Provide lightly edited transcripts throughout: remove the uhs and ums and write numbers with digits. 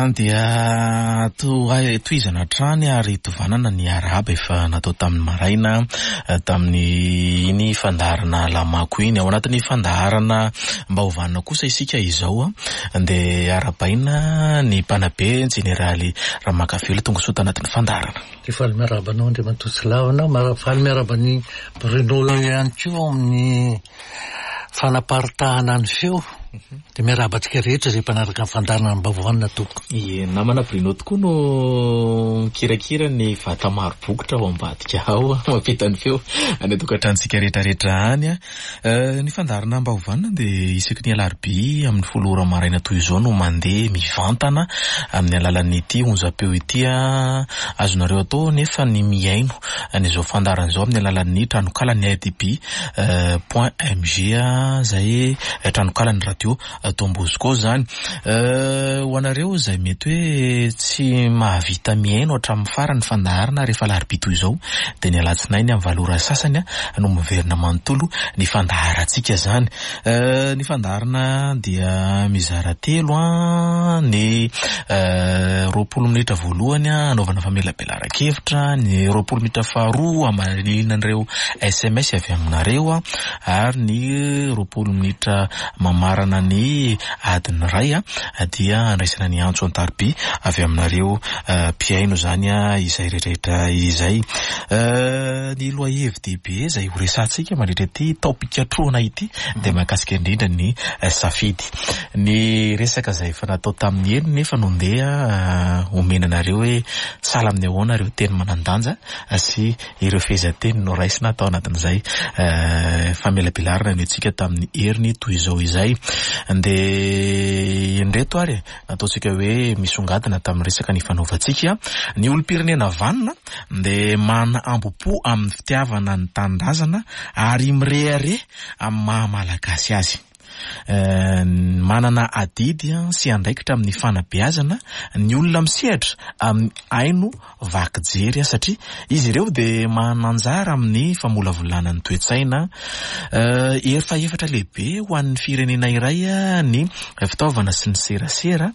Dia tohizana hatrany ary tovanana ny arahaba efa natao tamin'ny maraina tamin'ny iny fandaharana Lamako iny. Ao anatin'ny fandaharana mba hovanina kosa isika izao dia arahabaina ny mpanabe jeneraly Ramakavelo tonga soa tanatin'ny fandaharana. Dia faly miarahaba anao Andriamatoa Tsilavina, faly miarahaba an'i Bruno ihany koa amin'ny fanaparitahana ny feo. Dia miarahaba antsika rehetra izay mpanaraka ny fandaharana mba vohanina tompoko. Ie, namana Bruno tokoa no mikirakira ny vata maro bokotra ao ambadika ao, mampita ny feo any an-tokantranontsika rehetrarehetra any. Ny fandaharana mba hovanina dia isaky ny alarobia amin'ny 10 ora maraina toy izao no mandeha mivantana amin'ny alalan'ity onjam-peo ity. Azonareo atao nefa ny mihaino an'izao fandaharana izao amin'ny alalan'ny tranokalan'ny RDB point mg izay tranokalan'ny radio Don Bosco izany. Ho anareo izay mety hoe tsy mahavita mihaino hatramin'ny farany fandaharana rehefa alarobia toy izao dia ny alatsinainy amin'ny 8 ora sasany no miverina manontolo ny fandaharantsika izany. Ny fandaharana dia mizara telo, ny 20 minitra voalohany hanaovana famelabelaran-kevitra, ny 20 minitra faharoa hamaliana an'ireo SMS avy aminareo ary ny 20 minitra mamarana ny adiny iray dia handraisana ny antso an-tariby avy aminareo mpihaino izany izay rehetrarehetra izay. Ny lohahevi-dehibe izay ho resahantsika mandritra ity taom-pikatrohana ity dia mahakasika indrindra ny safidy. Ny resaka izay efa natao tamin'ny heriny nefa no ndeha omena anareo hoe sahala amin'ny ahoana ireo teny manan-danja sy ireo fehezanteny noraisina tao anatin'izay famelabelarana noentsika tamin'ny heriny toy izao izay. Dia indreto ary nataontsika hoe misongadina tamin'ny resaka nifanaovantsika. Ny olom-pirenena vanona dia manana ambo-po amin'ny fitiavana ny tanindrazana ary mirehareha amin'ny maha malagasy azy. Manana adidy sy andraikitra amin'ny fanabeazana ny olona misehatra amin'ny haino vaky jery satria izy ireo dia manana anjara amin'ny famolavolana ny toe-tsaina. Hery fahefatra lehibe ho an'ny firenena iray ny fitaovana sy ny serasera.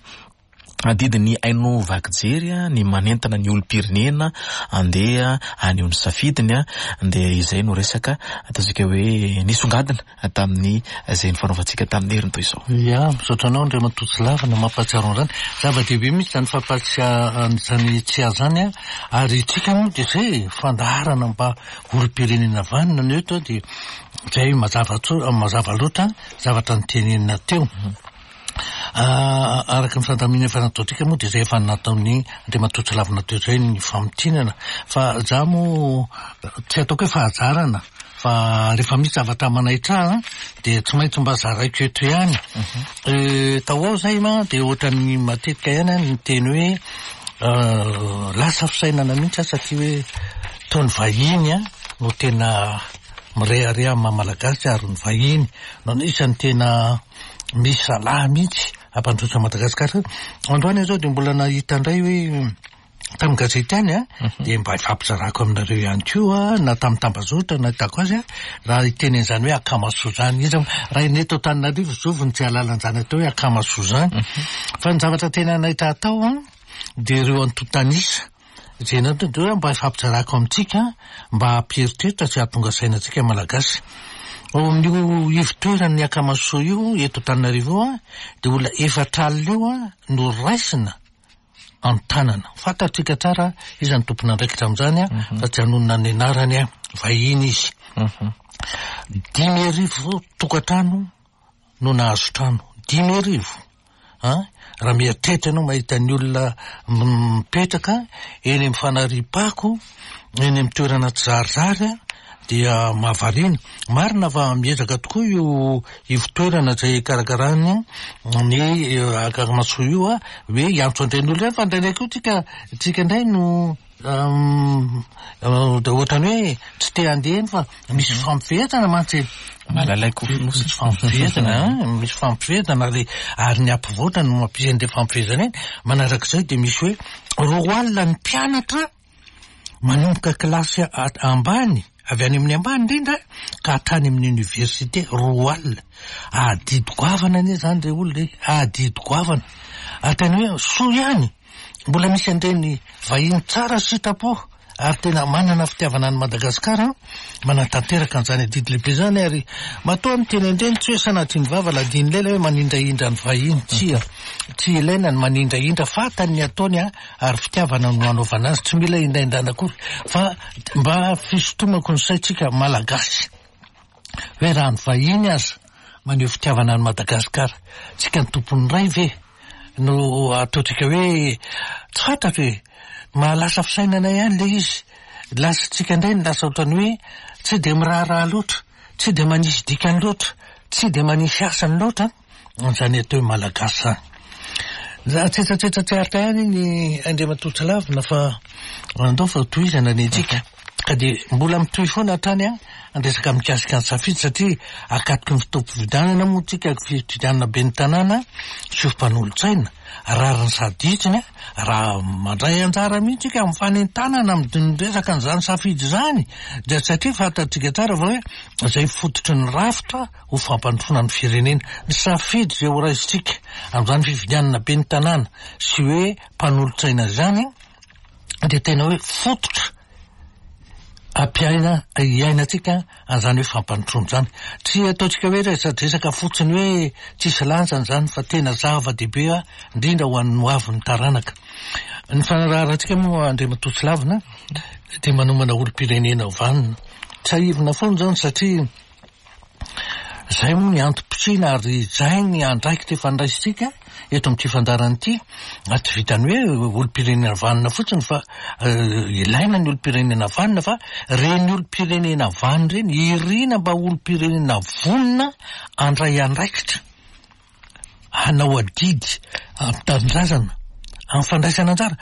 Adidin'ny haino vaky jery ny manentana ny olom-pirenena andeha haneho ny safidiny dia izay no resaka ataontsika hoe nisongadina tamin'ny izay nifanaovantsika tamin'ny heriny toy izao. Ya, misaotra anao Andriamatoa Tsilavina mampahatsiaro an'izany. Zava-dehibe mihitsy izany fampahatsiahana izany tsiahy izany an, ary isika moa dia izay e, fandaharana mba olom-pirenena vanona no eto dia izay mazava tso- mazava loatra zavatra notenenina teo. Araka ny fandaminana efa nataontsika moa dia izay efa nataon'ny Andriamatoa Tsilavina teo izay ny famintinana fa za moa tsy ataoko hoe fahajarana fa rehefa misy zavatra manaitra ahy dia tsy maintsy mba zaraiko eto ihany. Tao ao izay ma dia ohatran'ny matetika ihany aho niteny hoe lasa fisainana mihitsy aho satria hoe toa ny vahiny no tena mirehareha amin'ny maha malagasy ary ny vahiny no anisan'ny tena misy zalahy mihitsy hampandroso an'i Madagasikara. Androany aho izao dia mbola nahita indray hoe tamin'ny gazety ihany an, dia mba hifampizarako aminareo ihany koa na tamin'ny tambazotra nahitako azy an, raha hiteny an'izany hoe akamasoa izany. Iza raha ny eto Antananarivo zovy no tsy hahalala an'izany atao hoe akamasoa izany. Fa ny zavatra tena nahita atao an, dia ireo antontan'isa. Izay natao dia hoe mba hifampizarako amintsika mba hampieritreritra sy hahatonga saina antsika Malagasy. Ao amin'io ivotoeran'ny Akamasoa io eto Antananarivo io an, dia olona 40 eo no raisina an-tanana. Fantatsika tsara iza no tompon'andraikitra amin'izany an, fa tsy hanonona ny anarany aho, vahiny izy. 5000 tokantrano no nahazo trano. 5000! An! Raha mieritreritra ianao mahita ny olona mipetraka eny amin'ny fanariam-pako, eny amin'ny toerana tsy zarizary dia mahavariana. Marina fa miezaka tokoa io ivotoerana izay ikarakarany ny Akamasoa io hoe hiantso an'ireny olona ireny fa indraindray koa tsika tsika indray no Dia ohatran'ny hoe tsy te handeha eny fa misy fampifehezana mantsy e. Malalay kofonosana. Misy fampifehezana an, misy fampifehezana ary ary ny hampivoatra no mampisy an'ilay fampifehezana iny. Manarak'izay dia misy hoe 20 ny mpianatra manomboka kilasy ambany, avy any amin'ny ambany indrindra ka hatrany amin'ny université, 20. Adidy goavana anie izany re olona e, adidy goavana. Ary tena hoe soa ihany, mbola misy an'ireny vahiny tsara sitrapo ary tena manana fitiavana an'i Madagasikara manatanteraka an'izany adidy lehibe izany ary matoa miteny an'ireny tsy hoe sanatria ny vava ladin'ny lela hoe manindrahindra ny vahiny, tsia, tsy ilaina ny manindrahindra, fantany ny ataony ary fitiavana no anaovana azy, tsy mila indrahindrana akory fa mba fisintomako ny saintsika Malagasy hoe raha ny vahiny aza maneho fitiavana an'i Madagasikara, tsika ny tompon'ny ray ve no ataontsika hoe tsy fantatro e, mahalasa fisainana ihany ilay izy, lasa tsika indray no lasa ohatran'ny hoe tsy dia miraharaha loatra, tsy dia manisy dikany loatra, tsy dia manisy asany loatra an'izany atao hoe Malagasy izany. Tsetsatsetsa tsy aritra ihany iny Andriamatoa Tsilavina fa andao fa tohizana ny antsika. Ka dia mbola mitohy foana hatrany an, ny resaka mikasika ny safidy satria akatoky ny fotoam-pifidianana moa tsika, fifidianana ben'ny tanàna sy ho mpanolotsaina, rariny sady hitsiny raha mandray anjara mihitsy tsika amin'ny fanentanana amin'ny resaka an'izany safidy izany dia satria fantatsika tsara fa hoe izay fototry ny rafitra ho fampandrosoana ny firenena. Ny safidy izay ho raisintsika amin'izany fifidianana ben'ny tanàna sy hoe mpanolotsaina izany dia tena hoe fototra ampiaina iainantsika an'izany hoe fampandrosoana izany. Tsy ataontsika hoe resadresaka fotsiny hoe tsisy lanjany izany fa tena zava-dehibe indrindra ho an'ny hoavin'ny taranaka. Ny fanaraharantsika moa Andriamatoa Tsilavina dia manomana olom-pirenena vanona. Tsiahivina foana izany satria Izay moa ny antom-pisiana ary izay ny andraikitra efa niraisintsika eto amin'ity fandaharana ity, ary tsy vitan'ny hoe olom-pirenena vanona fotsiny fa ilaina ny olom-pirenena vanona fa ireny olom-pirenena vanona ireny irina mba olom-pirenena vonona handray andraikitra. hanao adidy amin'ny tanindrazana, amin'ny fandraisana anjara.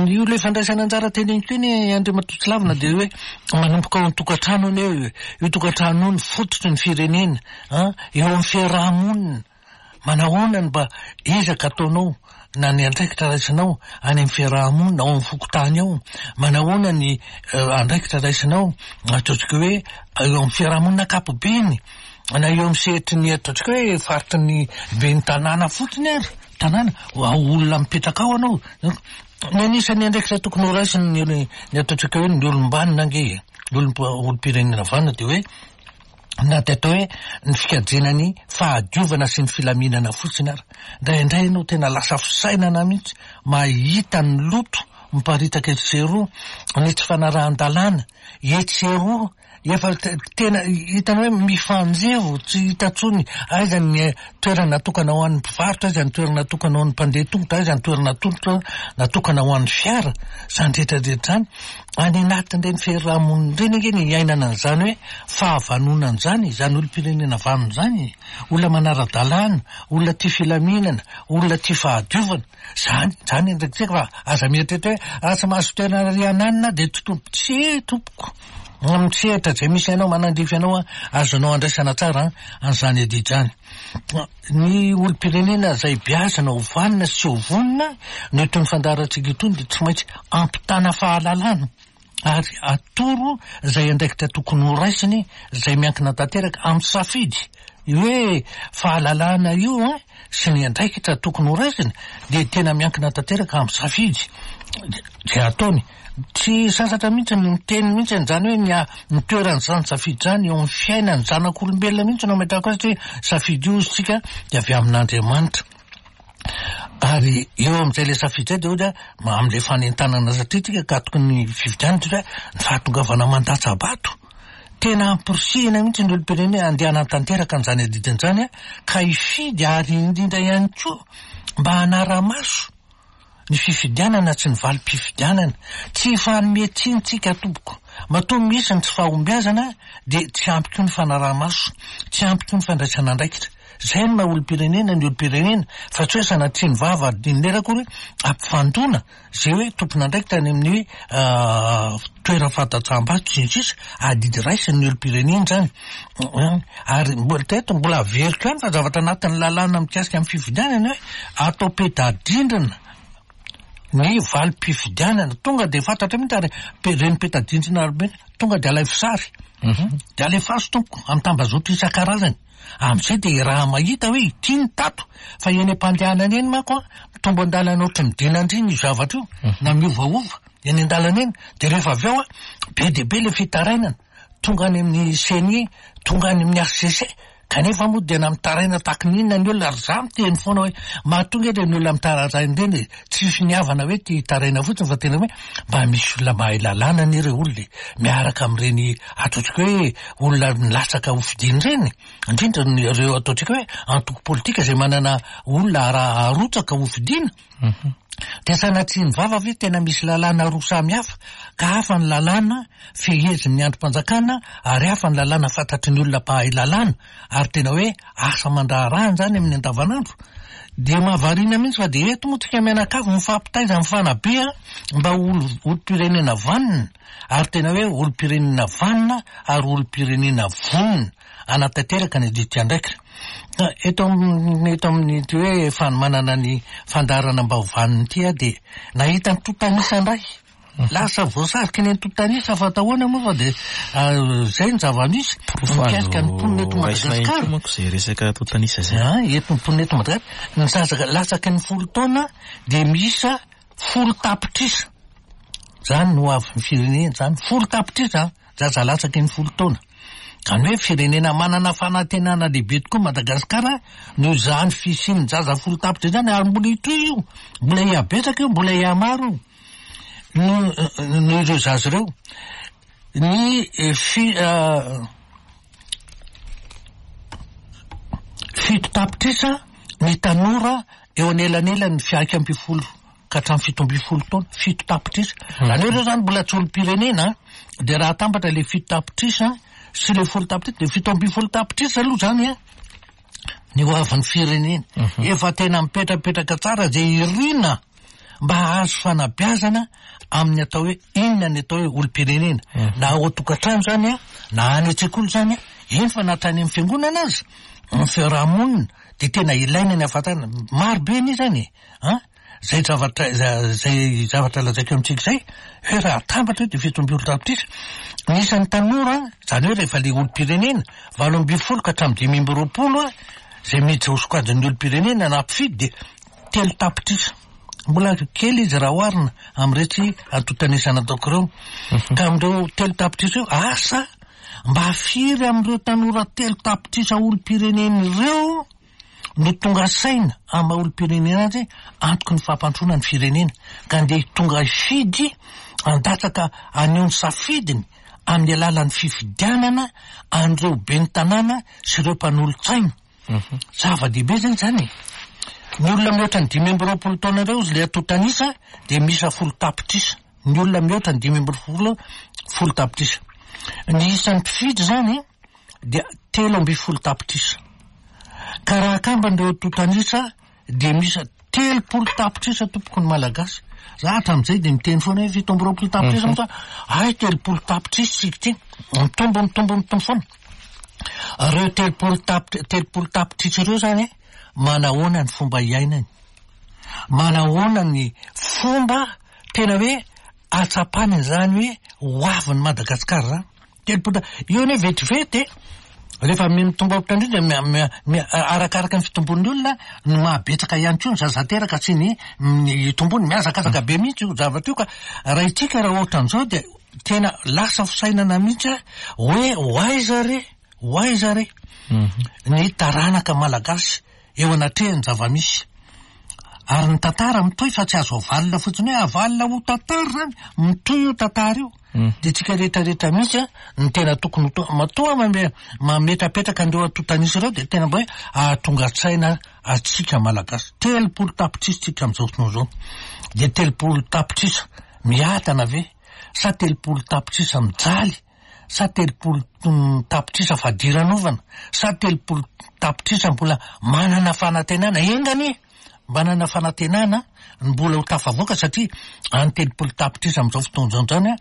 Io ilay fandraisana anjara teneniko iny Andriamatoa Tsilavina dia hoe manomboka ao an-tokantrano anie io, io tokantrano io ny fototry ny firenena, an, eo amin'ny fiaraha-monina. Manahoana no mba ezaka ataonao na ny andraikitra raisinao any amin'ny fiaraha-monina, ao amin'ny fokontany ao? Manahoana ny andraikitra raisinao ataontsika hoe eo amin'ny fiaraha-monina ankapobeny? na eo amin'ny sehatry ny ataontsika hoe faritry ny ben'ny tanàna fotsiny ary, tanàna, olona mipetraka ao ianao, ny anisan'ny andraikitra tokony ho raisiny ny ny ataontsika hoe ny olom-banona ange e, ny olom-pirenena vanona dia hoe na dia atao hoe ny fikajiana ny fahadiovana sy ny filaminana fotsiny ary. Indraindray ianao tena lasa fisainana mihitsy mahita ny loto miparitaka etsy sy eroa, ny tsy fanarahan-dalàna etsy sy eroa, Efa tena hitanao hoe mifanjevo, tsy hita intsony aiza ny toerana natokana ho an'ny mpivarotra, aiza ny toerana natokana ho an'ny mpandeha tongotra, aiza ny toerana natolotra natokana ho an'ny fiara, izany rehetra rehetra izany. Any anatin'ireny fiarahamonina ireny ange ny iainana an'izany hoe fahavanonana izany, izany olom-pirenena vanona izany e. Olona manara-dalàna, olona tia filaminana, olona tia fahadiovana. Zany, zany andraikitsika fa aza mieritreritra hoe raha tsy mahazo toerana riananina dia tsy tompoko. Tsia tompoko. Amin'ny sehatra izay misy anao, manandrify anao, azonao andraisana tsara an'izany adidy izany. Ny olom-pirenena izay beazina ho vanona sy ho vonona no itony fandaharantsika itony dia tsy maintsy ampitana fahalalana ary atoro izay andraikitra tokony ho raisiny izay miankina tanteraka amin'ny safidy. Io hoe fahalalana io an, sy ny andraikitra tokony ho raisiny dia tena miankina tanteraka amin'ny safidy izay ataony. Tsy sasatra mihitsy ny miteny mihitsy an'izany hoe ny ny toeran'izany safidy izany eo amin'ny fiainan'ny zanak'olombelona mihitsy no ametrahako azy satria safidy io hozy tsika dia avy amin'Andriamanitra. Ary eo amin'izay ilay safidy izay dia hoy aho amin'ilay fanentanana satria tsika akatoky ny fifidianana satria ny fahatongavana mandatsa-bato tena amporisihina mihitsy ny olom-pirenena handeha hanatanteraka an'izany adidiny izany ka hifidy ary indrindra ihany koa mba hanara-maso ny fifidianana tsy ny valim-pifidianana. Tsy hifanome tsiny tsika tompoko. Matoa misy ny tsy fahombiazana dia tsy ampy koa ny fanaraha-maso, tsy ampy koa ny fandraisana andraikitra. Izay no maha olom-pirenena ny olom-pirenena fa tsy hoe sanatria ny vava adin'ny lera akory ampifandona izay hoe tompon'andraikitra any amin'ny toeram-fandatsaham-bato sy ny sisa, adidy raisin'ny olom-pirenena izany. Ary mbola teto mbola averiko ihany fa zavatra anatin'ny lalàna mikasika ny fifidianana hoe atao peta-drindrina. Ny valim-pifidianana, tonga dia fantatra mihitsy ary ireny peta-drindrana ireny tonga dia alaivo sary. Dia alefaso tompoko amin'ny tambazotra isan-karazany. Amin'izay dia raha mahita hoe ity ny tato, fa eny am-pandehanana eny manko an, mitombo an-dalana ohatry ny dinandrina io zavatra io, na miovaova eny an-dalana eny, dia rehefa avy eo an, be dia be ilay fitarainana, tonga any amin'ny ceni, tonga any amin'ny HCC, kanefa moa dia na mitaraina tahaky ny inona ny olona, ary za miteny foana hoe mahatonga ireny olona mitaraina ireny e, tsy finiavana hoe te hitaraina fotsiny fa tena hoe mba misy olona mahay lalàna anie ireo olona e, miaraka amin'ireny ataontsika hoe olona nilatsaka ho fidiana ireny, indrindra ny ireo ataontsika hoe antoko politika izay manana olona arotsaka ho fidiana. Dia sanatria ny vava ve tena misy lalàna roa samy hafa ka hafa ny lalàna fehezin'ny andrim-panjakana ary hafa ny lalàna fantatry ny olona mpahay lalàna ary tena hoe asa aman-draharahany izany amin'ny andavanandro? Dia mahavariana mihitsy fa dia eto moa tsika mianakavy mifampitaiza mifanabe mba ho olom-pirenena vanona ary tena hoe olom-pirenena vanona ary olom-pirenena vonona hanatanteraka ny adidy andraikitra. Eto amin'ny eto amin'ity hoe fanomanana ny fandaharana mba ho vanona ity aho dia nahita antontan'isa indray. Lasa voasariky ny antontan'isa fa atao ahoana moa fa dia izay ny zava-misy mikasika ny mponina eto Madagasikara. Manko izay resaka antontan'isa izay. Ah, eto ny mponina eto Madagasikara. Ny zaza latsaky ny folo taona dia miisa folo tapitrisa. Izany no avin'ny firenena izany. Folo tapitrisa zaza latsaky ny folo taona. Izany hoe firenena manana fanantenana lehibe tokoa Madagasikara noho izany fisian'ny zaza folo tapitrisa izany ary mbola hitohy io, mbola hihabetsaka io, mbola hihamaro io. Noho noho ireo zaza ireo. Ny fi fito tapitrisa ny tanora eo anelanelan'ny 11 ka hatramin'ny 17 taona, fito tapitrisa. Izany hoe ireo izany mbola tsy olom-pirenena, dia raha atambatra ilay fito tapitrisa sy ilay folo tapitrisa, dia 17 tapitrisa aloha izany an, ny ho avin'ny firenena. Efa tena mipetrapetraka tsara izay irina mba hahazo fanabeazana amin'ny atao hoe inona ny atao hoe olom-pirenena. Na ao an-tokantrano izany an, na any an-tsekoly izany an, eny fa na hatrany amin'ny fiangonana aza, ny fiaraha-monina dia tena ilaina ny hahafantarana. Maro be anie izany e, an! Izay zavatra izay zavatra lazaiko amintsika izay, hoe raha atambatra io dia 17 tapitrisa. Ny isan'ny tanora, izany hoe rehefa ilay olom-pirenena, 18 ka hatramin'ny 25 izay miditra ho sokajin'ny olom-pirenena na mpifidy dia 3 tapitrisa. Mbola kely izy raha oharina amin'iretsy antontan'isa nataoko ireo. Ka amin'ireo 3 tapitrisa io, asa mba firy amin'ireo tanora 3 tapitrisa olom-pirenena ireo no tonga saina amin'ny maha olom-pirenena azy antoky ny fampandrosoana ny firenena ka andeha tonga hifidy handatsaka haneho ny safidiny amin'ny alalan'ny fifidianana an'ireo ben'ny tanàna sy ireo mpanolotsaina. Zava-dehibe zany izany e. Ny olona mihoatra ny 25 taona ireo izy ilay antontan'isa dia miisa folo tapitrisa. Ny olona mihoatra ny 15 folo tapitrisa. Ny isan'ny mpifidy izany dia 13 tapitrisa. Ka raha akambana ireo antontan'isa dia miisa 30 tapitrisa tompoko ny Malagasy. Za hatramin'izay dia miteny foana hoe 27 tapitrisa moa ay 30 tapitrisa isika ity. Mitombo mitombo mitombo foana. Ireo 30 tapitra 30 tapitrisa ireo izany manahoana ny fomba iainany? Manahoana ny fomba tena hoe ahatsapany an'izany hoe ho avin'i Madagasikara izany? 30 io anie vetivety e. Rehefa mitombo ohatran'io dia arakaraka ny fitombon'ny olona no mahabetsaka ihany koa ny zaza teraka sy ny itombony. Mihazakazaka be mihitsy io zavatra io ka raha isika raha ohatran'izao dia tena lasa fisainana mihitsy hoe ho aiza re, ho aiza re ny taranaka malagasy eo anatrehan'ny zava-misy. Ary ny tantara mitohy fa tsy azo avalona fotsiny hoe avalona ho tantara izany, mitohy io tantara io. Dia tsika rehetra rehetra mihitsy no tena tokony ho to-, matoa mametrapetraka an'ireo antontan'isa ireo dia tena mba hoe ahatonga saina antsika Malagasy. 30 tapitrisa tsika amin'izao fotoana izao. Dia 30 tapitrisa miadana ve sa 30 tapitrisa mijaly sa 30 tapitrisa fadiranovana sa 30 tapitrisa mbola manana fanantenana? Enga anie manana fanantenana ny mbola ho tafavoaka satria any 30 tapitrisa amin'izao fotoana izao izany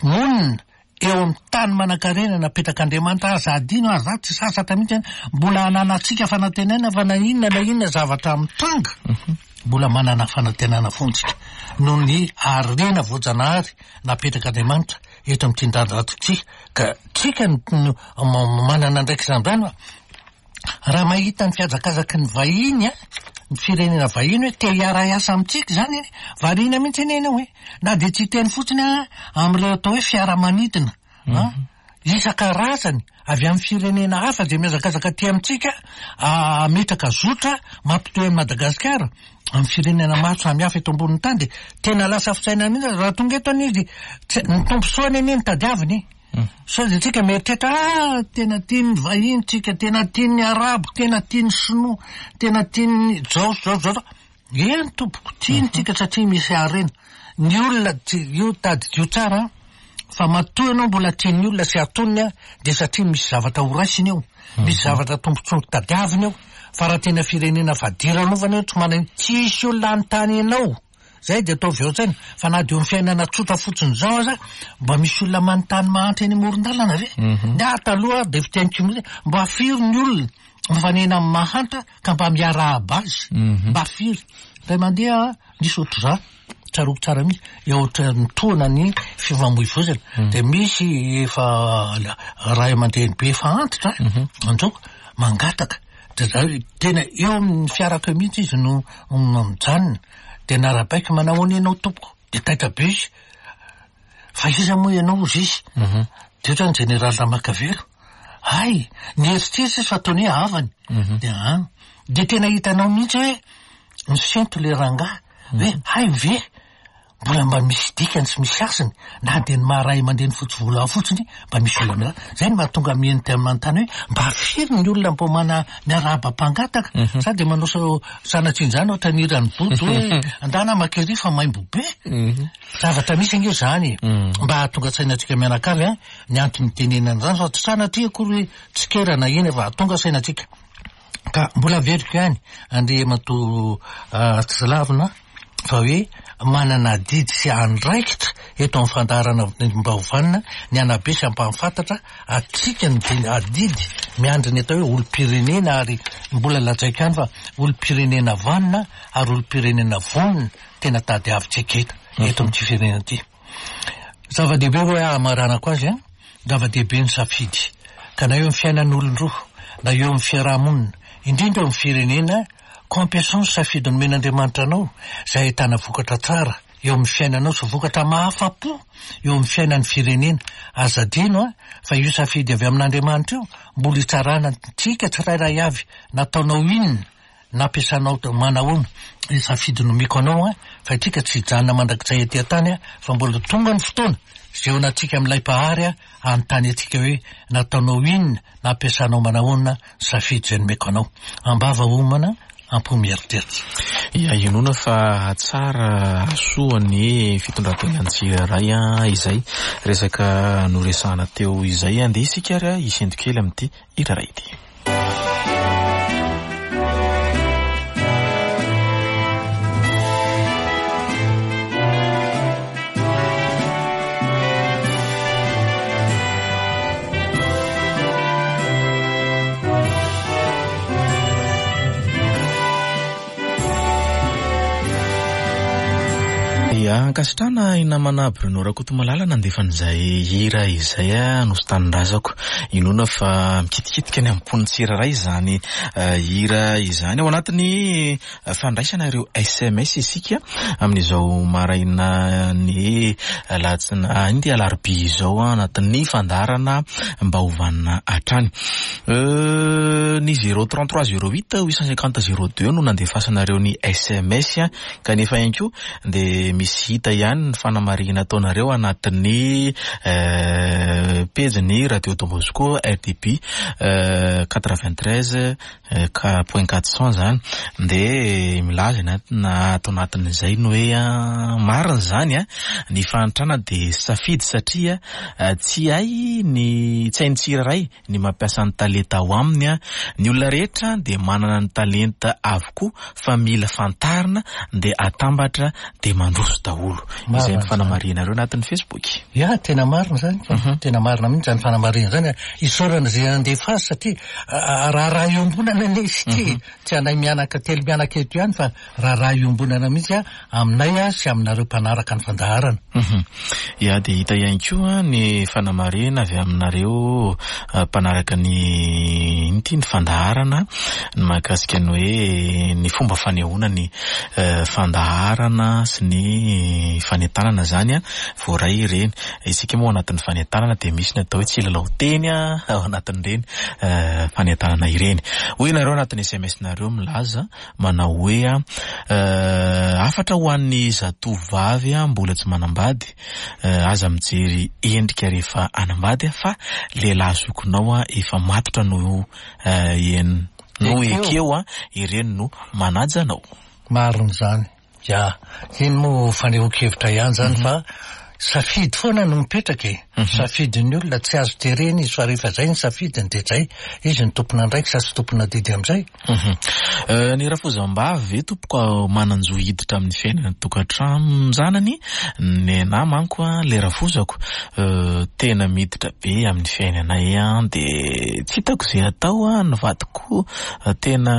monina. Eo amin'ny tany manankarena napetrak'Andriamanitra aza adino ary za tsy sasatra mihitsy mbola ananantsika fanantenana fa na inona na inona zavatra mitranga mbola manana fanantenana foana tsika noho ny harena voajanahary napetrak'Andriamanitra eto amin'ity tanindrazana ity ka tsika no manana andraikitra amin'izany fa Raha mahita ny fihazakazaky ny vahiny an, ny firenena vahiny hoe te hiara-hiasa amintsika izany e, variana mihitsy anie ianao e. Na dia tsy hiteny fotsiny aho amin'ireo atao hoe fiaramanidina an, isan-karazany avy amin'ny firenena hafa izay mihazakazaka aty amintsika hametraka zotra mampitohy an'i Madagasikara amin'ny firenena maro samihafa eto ambonin'ny tany dia tena lasa fisainana mihitsy raha tonga eto anie izy, tsy, ny tombontsoany anie no tadiaviny e. Sao dia tsika mieritreritra ah tena tian'ny vahiny tsika, tena tian'ny arabo, tena tian'ny sinoa, tena tian'ny zao sy zao sy zao. Eny tompoko, tiany tsika satria misy harena. Ny olona tsy, io tadidio tsara an, fa matoa ianao mbola tian'ny olona sy atoniny an, dia satria misy zavatra ho raisiny eo, misy zavatra tombontsoa tadiaviny eo, fa raha tena firenena fadiranovana io tsy manana, tsisy olona hanontany anao. Zay dia ataovy ao an-tsaina fa na dia eo amin'ny fiainana tsotra fotsiny izao aza mba misy olona manontany mahantra eny amoron-dalana ve? Ny ahy taloha dia fiteniko mihitsy mba firy ny olona mifanena amin'ny mahantra ka mba miarahaba azy? Mba firy? Indray mandeha nisy ohatr'izany, tsaroako tsara mihitsy, eo ohatran'ny tohana ny fifamoivoizana dia misy efa ray aman-dreny be efa antitra anjoko mangataka dia za tena eo amin'ny fiarako eo mihitsy izy no mijanona. Dia narabaiko, manahoana ianao tompoko? Dia taitra be izy. Fa iza moa ianao hozy izy? Dia ohatrany jeneraly Ramakavelo. Hay, nieritreritra izy fa ataony hoe havany. Dia an. Dia tena hitanao mihitsy hoe misento ilay rangahy. Hoe hay ve? Mbola mba misy dikany sy misy hasiny na dia ny maha ray aman-dreny fotsy volo ahy fotsiny mba misy olona miarahaba. Izay no mahatonga mihenitra manontany hoe mba firy ny olona mbo mana miarahaba mpangataka sa dia manao sao sanatria izany ohatran'ny hiran'i Bodo hoe andana maka ery fa maimbo be. Zavatra misy ange izany e. Mba hahatonga saina antsika mianakavy an, ny antony itenenana an'izany fa tsy sanatria akory hoe tsikera na inona fa hahatonga saina antsika. Ka mbola averiko ihany Andriamatoa Tsilavina fa hoe manana adidy sy andraikitra eto amin'ny fandaharana mba ho vanona ny hanabe sy hampahafantatra antsika ny adidy miandry ny atao hoe olom-pirenena ary mbola lazaiko ihany fa olom-pirenena vanona ary olom-pirenena vonona tena tadiavintsika eto eto amin'ity firenena ity. Zava-dehibe hoe hamaranako azy an, zava-dehibe ny safidy ka na eo amin'ny fiainan'olon-droa na eo amin'ny fiaraha-monina indrindra eo amin'ny firenena Koa ampiasao ny safidy nomen'Andriamanitra anao, izay ahitana vokatra tsara eo amin'ny fiainanao sy vokatra mahafa-po eo amin'ny fiainan'ny firenena. Aza adino fa io safidy avy amin'Andriamanitra io mbola hitsarana antsika tsirairay avy, nataonao inona, nampiasanao manahoana io safidy nomeko anao fa isika tsy hijanona mandrakizay ety an-tany fa mbola tonga ny fotoana izay hihaonantsika amin'ilay Mpahary hanontany antsika hoe nataonao inona Nampiasanao manahoana ny safidy izay nomeko anao? Ambava homana, am-po mieritreritra. Ia, inoana fa hahatsara hahasoa ny fitondran-tenan'ny tsirairay izay resaka noresahana teo izay. Andeha isika ary hisento kely amin'ity hira iray ity. Ia, ankasitrahana i namana Bruno Rakotomalala nandefa an'izay hira izay Nosy Tanindrazako. Inoana fa mikitikitika ny am-pon'ny tsirairay izany hira izany. Ao anatin'ny fandraisana ireo sms isika amin'izao maraina ny alatsinainy ity alarobia izao anatin'ny fandaharana mba ho vanona hatrany. Ny 033 08 850 02 no nandefasanareo ny sms kanefa ihany koa dia misy hita ihany ny fanamarihina ataonareo anatin'ny pejin'ny Radio Don Bosco RDB 93 Point 400 zany de milaza ny na ato anatin'izay ny hoe marina izany a, ny fahantrana de safidy satria tsy hay ny tsy hain'ny tsirairay ny mampiasa ny talenta ao aminy a, ny olona rehetra de manana ny talenta avokoa fa mila fantarina de atambatra de mandroso daholo. daholo. Izay ny fanamarihanareo anatin'ny Facebook. Ya, tena marina izany ka. Tena marina mihitsy izany fanamarihana izany. Isaorana izay nandefa azy satria raharaha iombonana anie izy ity e. Tsy anay mianaka telo mianaka eto ihany fa raharaha iombonana mihitsy aminay sy aminareo mpanaraka ny fandaharana. Ya, dia hita ihany koa ny fanamarihana avy aminareo mpanaraka ny inona ity ny fandaharana ny mahakasika ny hoe ny fomba fanehoana ny fandaharana sy ny fanentanana izany voaray ireny. Isika moa ao anatin'ny fanentanana dia misy ny atao hoe tsilalao teny ao anatin'ireny fanentanana ireny. Hoy ianareo anatin'ny SMS-nareo milaza manao hoe hafatra ho an'ny zatovovavy mbola tsy manambady, aza mijery endrika rehefa hanambady fa lehilahy zokinao efa matotra no no ekeo ireny no manaja anao. Marina izany. Ya, iny moa fanehoan-kevitra ihany izany fa safidy foana no mipetraka e. Safidin'ny olona, tsy azo terena izy fa rehefa izay ny safidiny dia izay. Izy no tompon'andraikitra sy tompon'adidy amin'izay. Ny rafozam-bavy ve tompoko manan-jo hiditra amin'ny fiainana tokantranon-janany? Nenà manko le rafozako tena miditra be amin'ny fiainanay dia tsy hitako izay atao, ny vadiko tena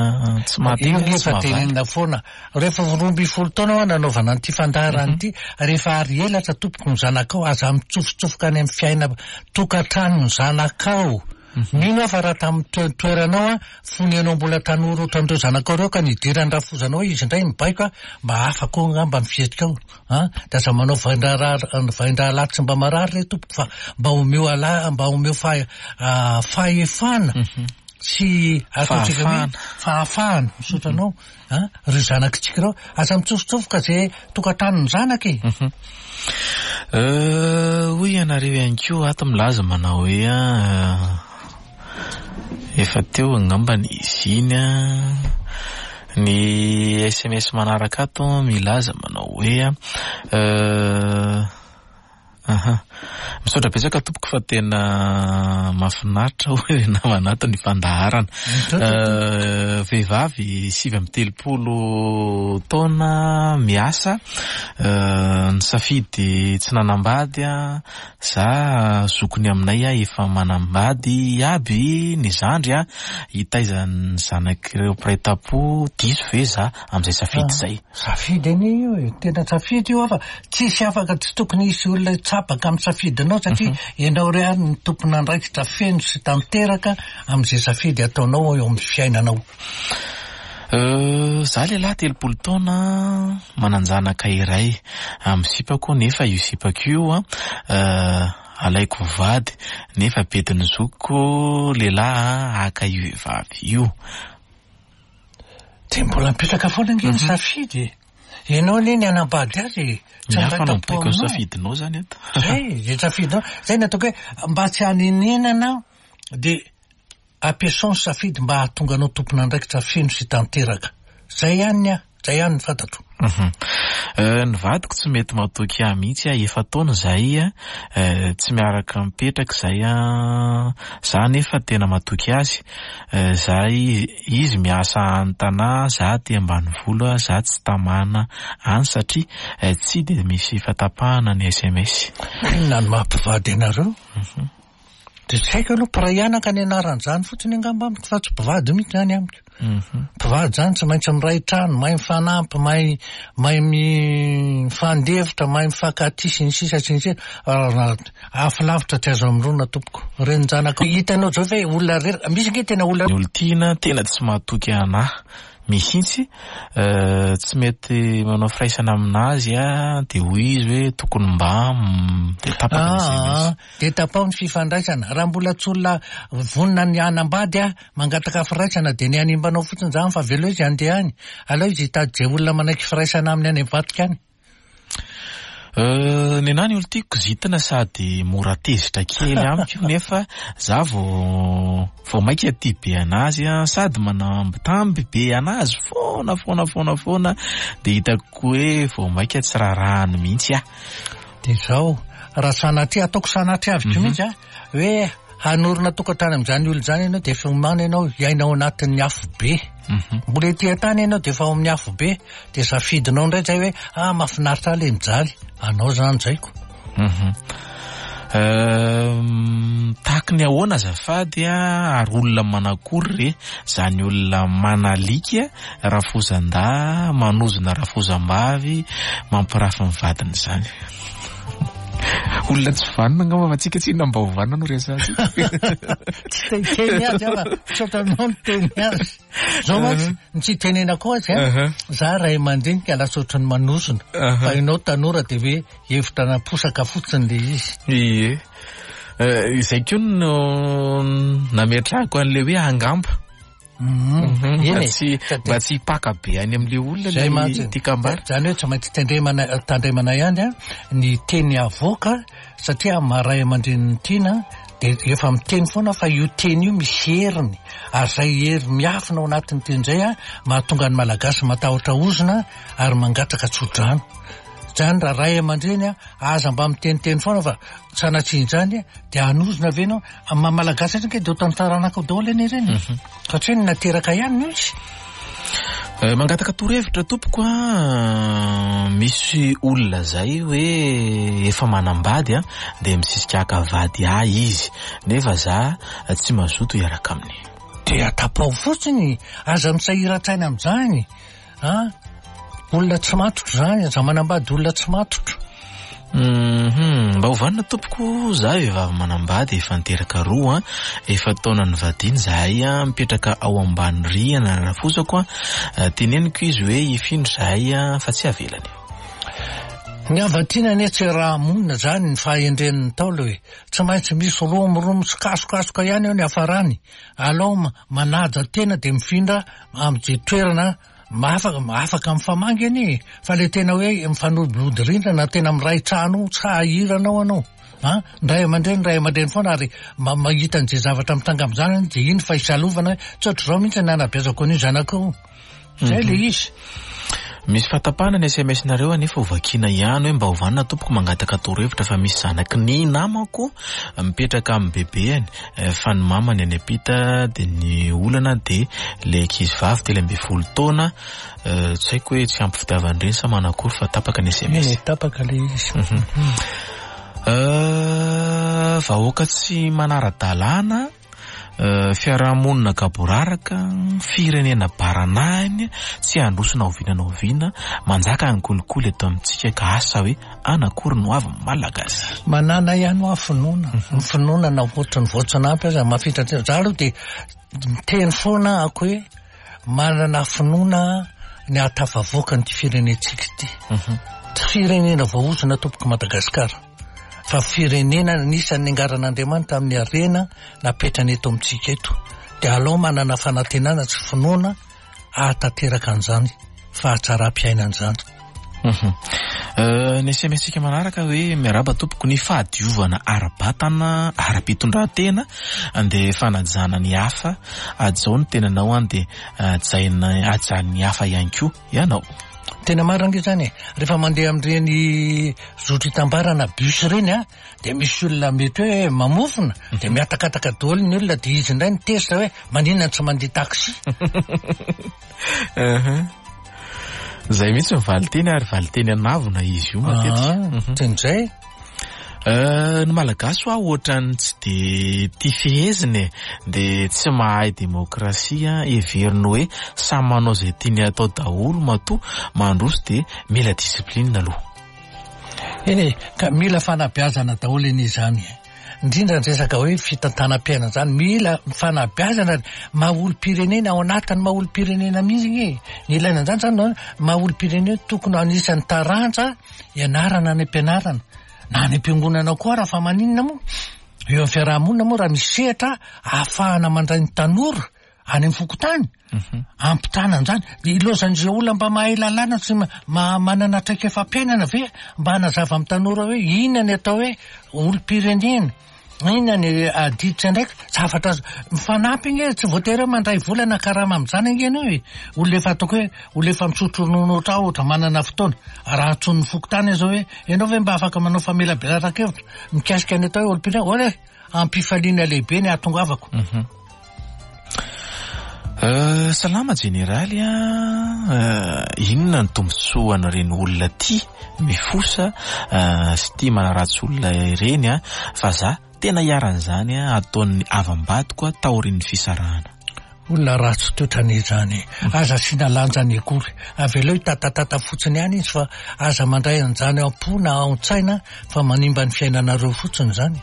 tsy mahateny Io tsy efa mahavaly. tenenina foana. Rehefa 12 taona aho nanaovana an'ity fandaharana ity, rehefa ary elatra tompoko ny zanakao, aza mitsofotsofoka any amin'ny fiaina tokantranon'ny zanakao. Mino aho fa raha tamin'ny toeranao aho, fony ianao mbola tanora ohatran'ireo zanakao ireo ka nidiran'ny rafozanao izy indray nibaiko aho, mba hafa koa angamba ny fihetsikao. An, dia aza manao vain-draharaha, vain-drahalahy tsy mba marary re tompoko fa mba omeo ala, mba omeo fahefana sy ataontsika hoe fahafahana, misaotra anao. An, ireo zanakitsika ireo, aza mitsofotsofoka ze tokantranon'ny zanaka e. Hoy ianareo ihany koa ato milaza manao hoe efa teo angambany izy iny an. Ny SMS manaraka ato milaza manao hoe Aha. Misaotra betsaka tompoko fa tena mahafinaritra hoy ry namana ato ny fandaharana. Vehivavy 39 taona miasa, nisafidy tsy nanambady za zokiny aminay efa manambady aby ny zandry hitaiza ny zanak'ireo mpiray tampo, diso ve za amin'izay safidy izay? Safidy anie io e, tena safidy io fa tsisy afaka, tsy tokony hisy olona hitsabaka amin'ny safidinao satria ianao irery no tompon'andraikitra feno sy tanteraka amin'izay safidy ataonao eo amin'ny fiainanao. Za lehilahy 30 taona, manan-janaka iray amin'ny sipako nefa io sipako io alaiko ho vady nefa bedin'ny zokiko lehilahy haka io vehivavy io. Dia mbola mipetraka foana ange ny safidy e. Ianao anie ny hanambady azy e. Tsy Ny hafa no mibaiko ny safidinao zany eto. Zay, izay safidinao. Zay no ataoko hoe mba tsy hanenenana dia ampiasao ny safidy mba hahatonga anao tompon'andraikitra feno sy tanteraka. Zay ihany ny ahy, zay ihany ny fantatro. Ny vadiko tsy mety matoky ahy mihitsy aho, efa-taona izahay tsy miaraka mipetraka izahay, za nefa tena matoky azy, za izy miasa any Tanà, za aty ambanivolo, za tsy tamana any satria tsy dia misy fatapahana ny sms. Inona no maha mpivady anareo? Dia tsy haiko aloha, mpiray anaka ny anaran'izany fotsiny angamba amiko fa tsy mpivady mihitsy izany amiko. Mpivady izany tsy maintsy miray trano, mahay mifanampy, mahay mahay mifandefitra, mahay mifankatia sy ny sisa sy ny sisa. Afo lavitra tsy azo amoronina tompoko. Renin-janaka hitanao zao ve olona reraka, misy ange tena olona. Ny olon-tiana tena tsy mahatoky anah mihitsy, tsy mety manao firaisana aminazy ah, dia hoy izy hoe tokony mba dia tapaka ny SMS. Dia tapaho ny fifandraisana. Raha mbola tsy olona vonona ny hanambady ah, mangataka firaisana dia ny hanimbanao fotsiny izany fa avelao izy handeha any. Aleo izy hitady izay olona manaiky firaisana aminy any ambadika any. Nenah ny olo tiako kizitina sady mora tezitra kely amiko nefa za vao vao maika tia be anazy an, sady manambitamby be anazy foana foana foana foana de hitako hoe vao maika tsy raharahany mihitsy aho. De zao, raha sanatria, ataoko sanatria avy mihitsy an, hoe hanorina tokantrano amin'izany olona izany ianao de efa omana ianao hiaina ao anatin'ny afo be. Mbola ety an-tany ianao dia efa ao amin'ny afobe, dia safidinao indray izay hoe ah mahafinaritra ahy ilay mijaly. Anao izany izay ko. Tahaky ny ahoana azafady a, ary olona manakory re zany olona manalika rafozan-dahy, manozona rafozam-bavy, mampirafy ny vadiny zany. Olona tsy vanona angamba fa tsika tsy inona mba ho vanona no resahantsika. Tsy te hiteny azy aho fa misaotra anao niteny azy. Zao mantsy, ny tsy hitenenako azy an, za ray aman-dreny ka lasa ohatran'ny manozona. Fa ianao tanora dia hoe hevitra naposaka fotsiny le izy. Ie. Izay koa no nametrahako an'ilay hoe angamba. Eny e. Tsy, mba tsy hipaka be any amin'ilay olona Zay mantsy. ilay tiakambara. Zany hoe tsy maintsy tendremana, tandremana ihany an, ny teny avoaka satria amin'ny maha ray aman-drenin'ny tiana dia efa miteny foana fa io teny io misy heriny ary izay hery miafina ao anatin'ny teny izay an, mahatonga ny Malagasy matahotra ozona ary mangataka tso-drano. Zany raha ray aman-dreny an, aza mba miteniteny foana fa sanatria injany dia hanozona ve ianao? Amin'ny maha Malagasy azy ange dia ohatran'ny taranaka daholo anie ireny e. Satria ny nateraka ihany no izy. Mangataka torohevitra tompoko a, misy olona zay hoe efa manambady a, dia misisika haka vady ahy izy, nefa za tsy mazoto hiaraka aminy. Dia tapaho fotsiny, aza misahiran-tsaina amin'izany. A! Olona tsy matotra izany, aza manambady olona tsy matotra. Hum, mba ho vanona tompoko, za vehivavy manambady efa niteraka roa an, efa taona nivadiana izahay an, mipetraka ao ambany rihana ny rafozako an, teneniko izy hoe hifindra izahay an, fa tsy avelany. Ny hava-tiana anie tsy raha-monina izany ny fahendren'ny Ntaolo e! Tsy maintsy misy romoromo sy kasokasoka ihany eo ny hafarany. Alao manaja tena dia mifindra amin'izay toerana afaka afaka mifamangy anie e! Fa le tena hoe mifanodinody rindrina na tena miray trano tsy hahirana ao anao an! Ny ray aman-dreny ray aman-dreny foana ary mahita an'izay zavatra mitranga amin'izany dia iny fa isalovana hoe tsy ohatr'izao mihitsy ny nanabeazako an'io zanako io. Zay le izy. Misy fahatapahana ny sms nareo anefa ho vakiana ihany hoe mba ho vanona tompoko mangataka torohevitra fa misy zanaky ny namako mipetraka amin'ny bebeany fa ny mamany any ampita dia ny olana dia le ankizy vavy 13 taona tsy haiko hoe tsy ampy fitiavan-dreny sa manakory fa tapaka ny sms. Eny e, tapaka le izy. Vahoaka tsy manara-dalàna. Fiarahamonina gaboraraka, firenena baranahiny, tsy handroso na oviana na oviana, manjaka ny kolikoly eto amintsika ka asa hoe anakory no avy Malagasy. Manana ihany hoa finoana, ny finoana na ohatry ny voatsinampy aza mahafintra tena, za aloha dia miteny foana ako hoe manana finoana ny hahatafavoaka an'ity firenentsika ity, tsy firenena voaozona tompoko Madagasikara. fa firenena anisan'ny niangaran'Andriamanitra amin'ny harena napetrany eto amintsika eto. Dia alao manana fanantenana sy finoana hahatanteraka an'izany fahatsaram-piainana izany. Ny SMS-tsika manaraka hoe miarahaba tompoko ny fahadiovana ara-batana, ara-pitondrantena dia fanajana ny hafa, hajao ny tenanao an dia hajaina hajan'ny hafa ihany koa ianao. Tena marina ange izany e! Rehefa mandeha amin'ireny zotra itambarana bus ireny an, dia misy olona mety hoe mamofona, dia mihatakataka daholo ny olona, dia izy indray no tezitra hoe maninona no tsy mandeha taxi? Izay mihitsy ny valinteny ary valinteny an'avona izy io matetika. Ah, teny izay. Ny Malagasy hoa ohatran'ny tsy dia tia fehezina e, dia tsy mahay demokrasia, heveriny hoe samy manao izay tiany hatao daholo matoa mandroso dia mila discipline aloha. Eny e, ka mila fanabeazana daholo anie izany e. Indrindra ny resaka hoe fitantanam-piainana izany, mila fanabeazana ary maha olom-pirenena ao anatin'ny maha olom-pirenena mihitsy anie e. Ny ilaina an'izany izany maha olom-pirenena tokony ho anisan'ny taranja ianarana any am-pianarana na any am-piangonana koa raha fa maninona moa? Eo amin'ny fiaraha-monina moa raha misy sehatra ahafahana mandray ny tanora any amin'ny fokontany mhm. ampitana an'izany dia ilaozan'izay olona mba mahay lalàna sy manana traikefam-piainana ve mba hanazava amin'ny tanora hoe inona ny atao hoe olom-pirenena Inona ny adidy sy andraikitra? Zavatra mifanampy ange, tsy voatery hoe mandray vola na karama amin'izany ange ianao e. Olona efa ataoko hoe olona efa misotro ronono ohatra ohatra manana fotoana. Raha antsoin'ny fokontany aza hoe ianao ve mba afaka manao famelabelaran-kevitra mikasika ny atao hoe olom-pirenena? Hoy e, am-pifaliana lehibe ny hahatongavako. Salama jeneraly a, inona ny tombontsoan'ireny olona tia mifosa sy tia manaratsy olona ireny a, fa za tena iharan'izany ataon'ny havam-badiko taorian'ny fisarahana. Olona ratsy toetra anie izany e. Aza asiana lanjany akory. Avelao hitatatata fotsiny ihany izy fa aza mandray an'izany ao am-po na ao an-tsaina fa manimba ny fiainanareo fotsiny izany.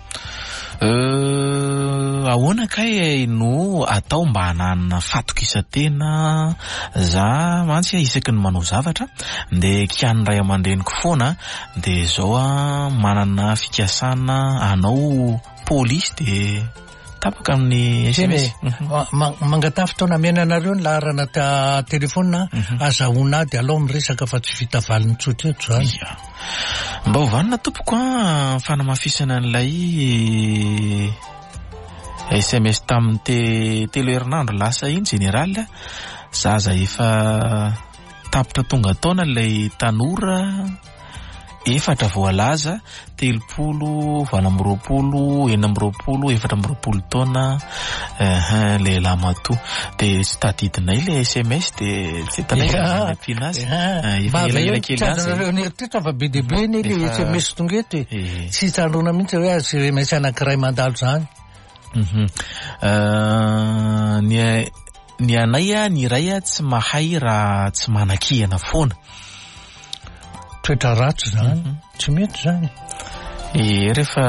Euh, ahoana kay no atao mba hananana fatokisan-tena? Za mantsy isaky ny manao zavatra dia kian'ny ray aman-dreniko foana dia zao aho manana fikasana hanao polisy dia tapaka amin'ny SMS. Mangataha fotoana amena anareo ny laharana telefaonina azahoana ahy dia alao miresaka fa tsy vita valiny tsotra eto izany. Ia. Mba ho vanona tompoko an, fanamafisana an'ilay SMS tamin'ny te telo herinandro lasa iny général, zaza efa tapitra tonga taona ilay tanora efatra voalaza, 30, 28, 26, 24 taona, ehe, lehilahy matoa. Dia tsy tadidinay ilay SMS dia tsy hitanay izay nampiana azy. Efa elaela kely ihany izay. Nareo nieritreritra fa be dia be anie ilay SMS tonga eto e. Tsy tsaroana mihitsy hoe SMS anankiray mandalo izany. Ny Ny anay ny iray tsy mahay raha tsy manakihana foana. Toetra ratsy izany, tsy mety izany. Ie, rehefa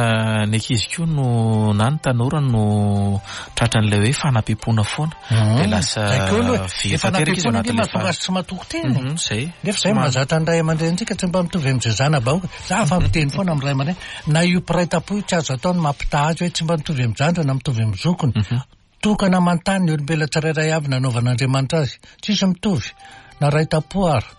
ny ankizy koa no na ny tanora no tratran'ilay hoe fanampiam-poana foana. Dia lasa very tanteraka izy ao anatin'ilay mahatonga azy tsy matoky tena. Izay. Nefa izay mahazatra ny ray aman-drenintsika tsy mba mitovy amin'izay zana-bahoaka. Za fa miteny foana amin'ny ray aman-dreny, na io mpiray tam-po io tsy azo atao ny mampitaha azy hoe tsy mba mitovy amin'ny zandriny na mitovy amin'ny zokiny. Tokana aman-tany ny olombelona tsirairay avy nanaovan'Andriamanitra azy. Tsisy mitovy, na ray tam-po ara.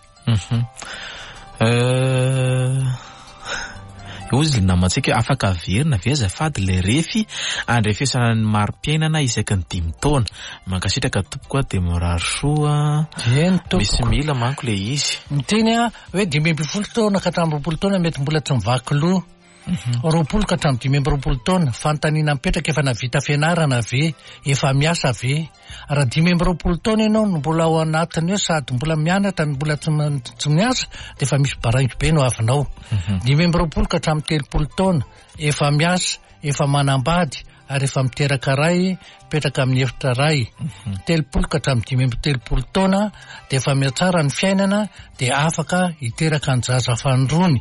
Hozy ilay namantsika hoe afaka averina ve azafady ilay refy andrefesana ny mari-piainana isaky ny dimy taona. Mankasitraka tompoko a, dia mirary soa. Eny tompoko. Misy mila manko ilay izy. Miteny aho hoe 15 taona ka hatramin'ny 20 taona mety mbola tsy mivaky loha. 20 ka hatramin'ny 25 taona, fanontaniana mipetraka efa nahavita fianarana ve? Efa miasa ve? Raha 25 taona ianao no mbola ao anatin'ny hoe sady mbola mianatra no mbola tsy tsy miasa dia efa misy baraingo be no avinao. 25 ka hatramin'ny 30 taona, efa miasa, efa manambady ary efa miteraka ray, mipetraka amin'ny efitra ray. 30 ka hatramin'ny 35 taona dia efa mihatsara ny fiainana dia afaka hiteraka ny zaza fanindroany.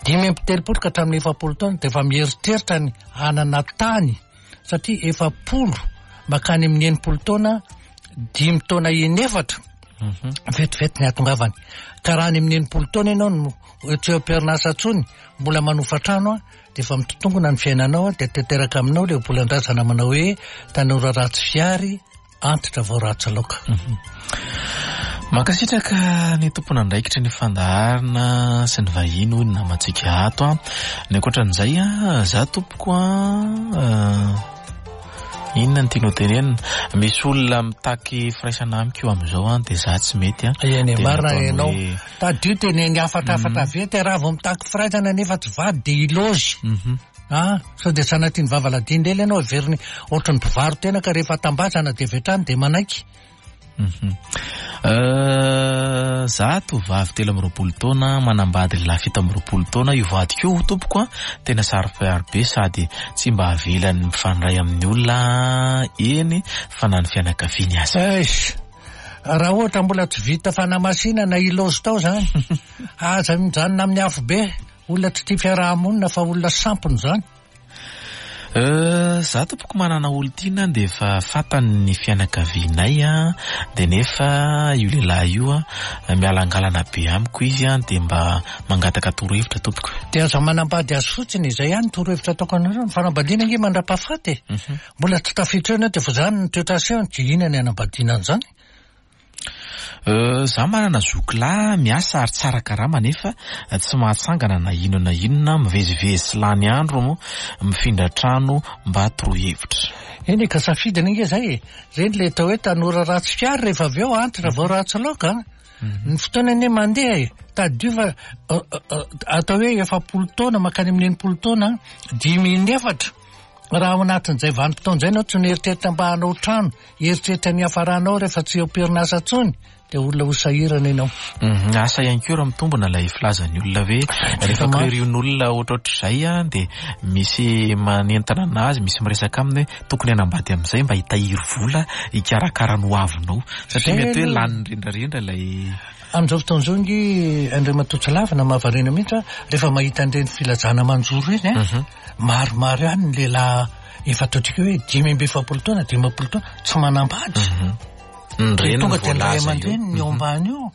35 ka hatramin'ny 40 taona dia efa mieritreritra ny hanana tany satria 40 makany amin'ny 60 taona dimy taona inefatra vetivety ny hahatongavany. Ka raha any amin'ny 60 taona ianao no tsy eo am-perinasa intsony, mbola manofa trano dia efa mitotongona ny fiainanao dia tanteraka aminao ilay volan-drazana manao hoe tanora ratsy fihary antitra vao ratsy laoka. Mankasitraka ny tompon'andraikitry ny fandaharana sy ny vahiny hoy ny namantsika ato a. Ny ankoatran'izay a, za tompoko a, inona no tianao tenenina? Misy olona mitaky firaisana amiko io amin'izao a, dia za tsy mety a. Eny, Dia marina nataony ianao. hoe Tadidio teneny hafatrafatra avy ety, raha vao mitaky firaisana nefa tsy vady dia ilaozy. Ah, sao dia sanatria ny vava ladino lela ianao heveriny ohatry ny mpivaro-tena ka rehefa tambazana dia avy hatrany dia manaiky. Za tovovavy 23 taona manambady lehilahy 27 taona, io vadiko io tompoko a, tena saro-piaro be sady tsy mba avelany mifandray amin'ny olona eny fa na ny fianakaviany aza. Eish! Raha ohatra mbola tsy vita fanamasinana ilaozy tao zany, aza mijanona amin'ny afobe. Olona tsy tia fiaraha-monina fa olona sampona izany. Euh, za tompoko manana olon-tiana dia efa fantany ny fianakavianay an, dia nefa io lehilahy io an, mialangalana be amiko izy an, dia mba mangataka torohevitra tompoko. Dia aza manambady azy fotsiny, izay ihany ny torohevitra ataoko anareo, ny fanambadiana ange mandra-pahafaty e. Mbola tsy tafiditra eo ianao dia efa izany ny toetra asehony, dia inona ny hanambadiana an'izany? Euh, za manana zoky lahy miasa ary tsara karama nefa tsy mahatsangana na inona na inona, mivezivezy sy lany andro moa, mifindra trano, mba torohevitra. Eny e, ka safidiny ange zay e! Reny le atao hoe tanora ratsy fihary rehefa avy eo antitra vao ratsy laoka an! Ny fotoana anie mandeha e! Tadidio fa atao hoe 40 taona mankany amin'ny 60 taona, dimy inefatra. Raha ao anatin'izay vanim-potoana izay ianao tsy mieritreritra mba hanao trano, hieritreritra ny hiafaranao rehefa tsy eo am-perinasa intsony, dia olona ho sahirana ianao. Mhm, asa ihany koa raha mitombina ilay filazan'ny olona hoe rehefa kiriorin'olona ohatrohatr'izay an, dia misy manentana anazy, misy miresaka aminy hoe tokony hanambady amin'izay mba hitahiry vola hikarakara ny hoavinao. Satria mety hoe lanin'ny rendrarendra ilay Amin'izao fotoana izao ange Andriamatoa Tsilavina mahavariana mihitsy an, rehefa mahita an'ireny filazana manjoro ireny an, mhm. maromaro ihany ny lehilahy efa ataontsika hoe 45 taona, 50 taona tsy manambady. Mhm. Ny reny tonga dia ny ray aman-dreny ny eo mhm. ambany io.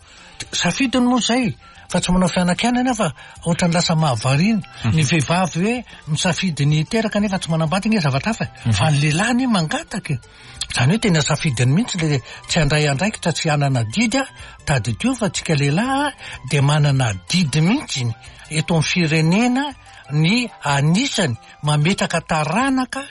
Safidiny moa izay fa tsy manao fianakianana fa ohatran'ny lasa mahavariana. Ny vehivavy hoe misafidy ny hiteraka nefa tsy manambady nge zavatra hafa. Fa ny lehilahy anie mangataka e. Izany hoe tena safidiny mihitsy le tsy handray andraikitra tsy hanana adidy a, tadidio fa tsika lehilahy dia manana adidy mihitsy eto amin'ny firenena ny anisany mametraka taranaka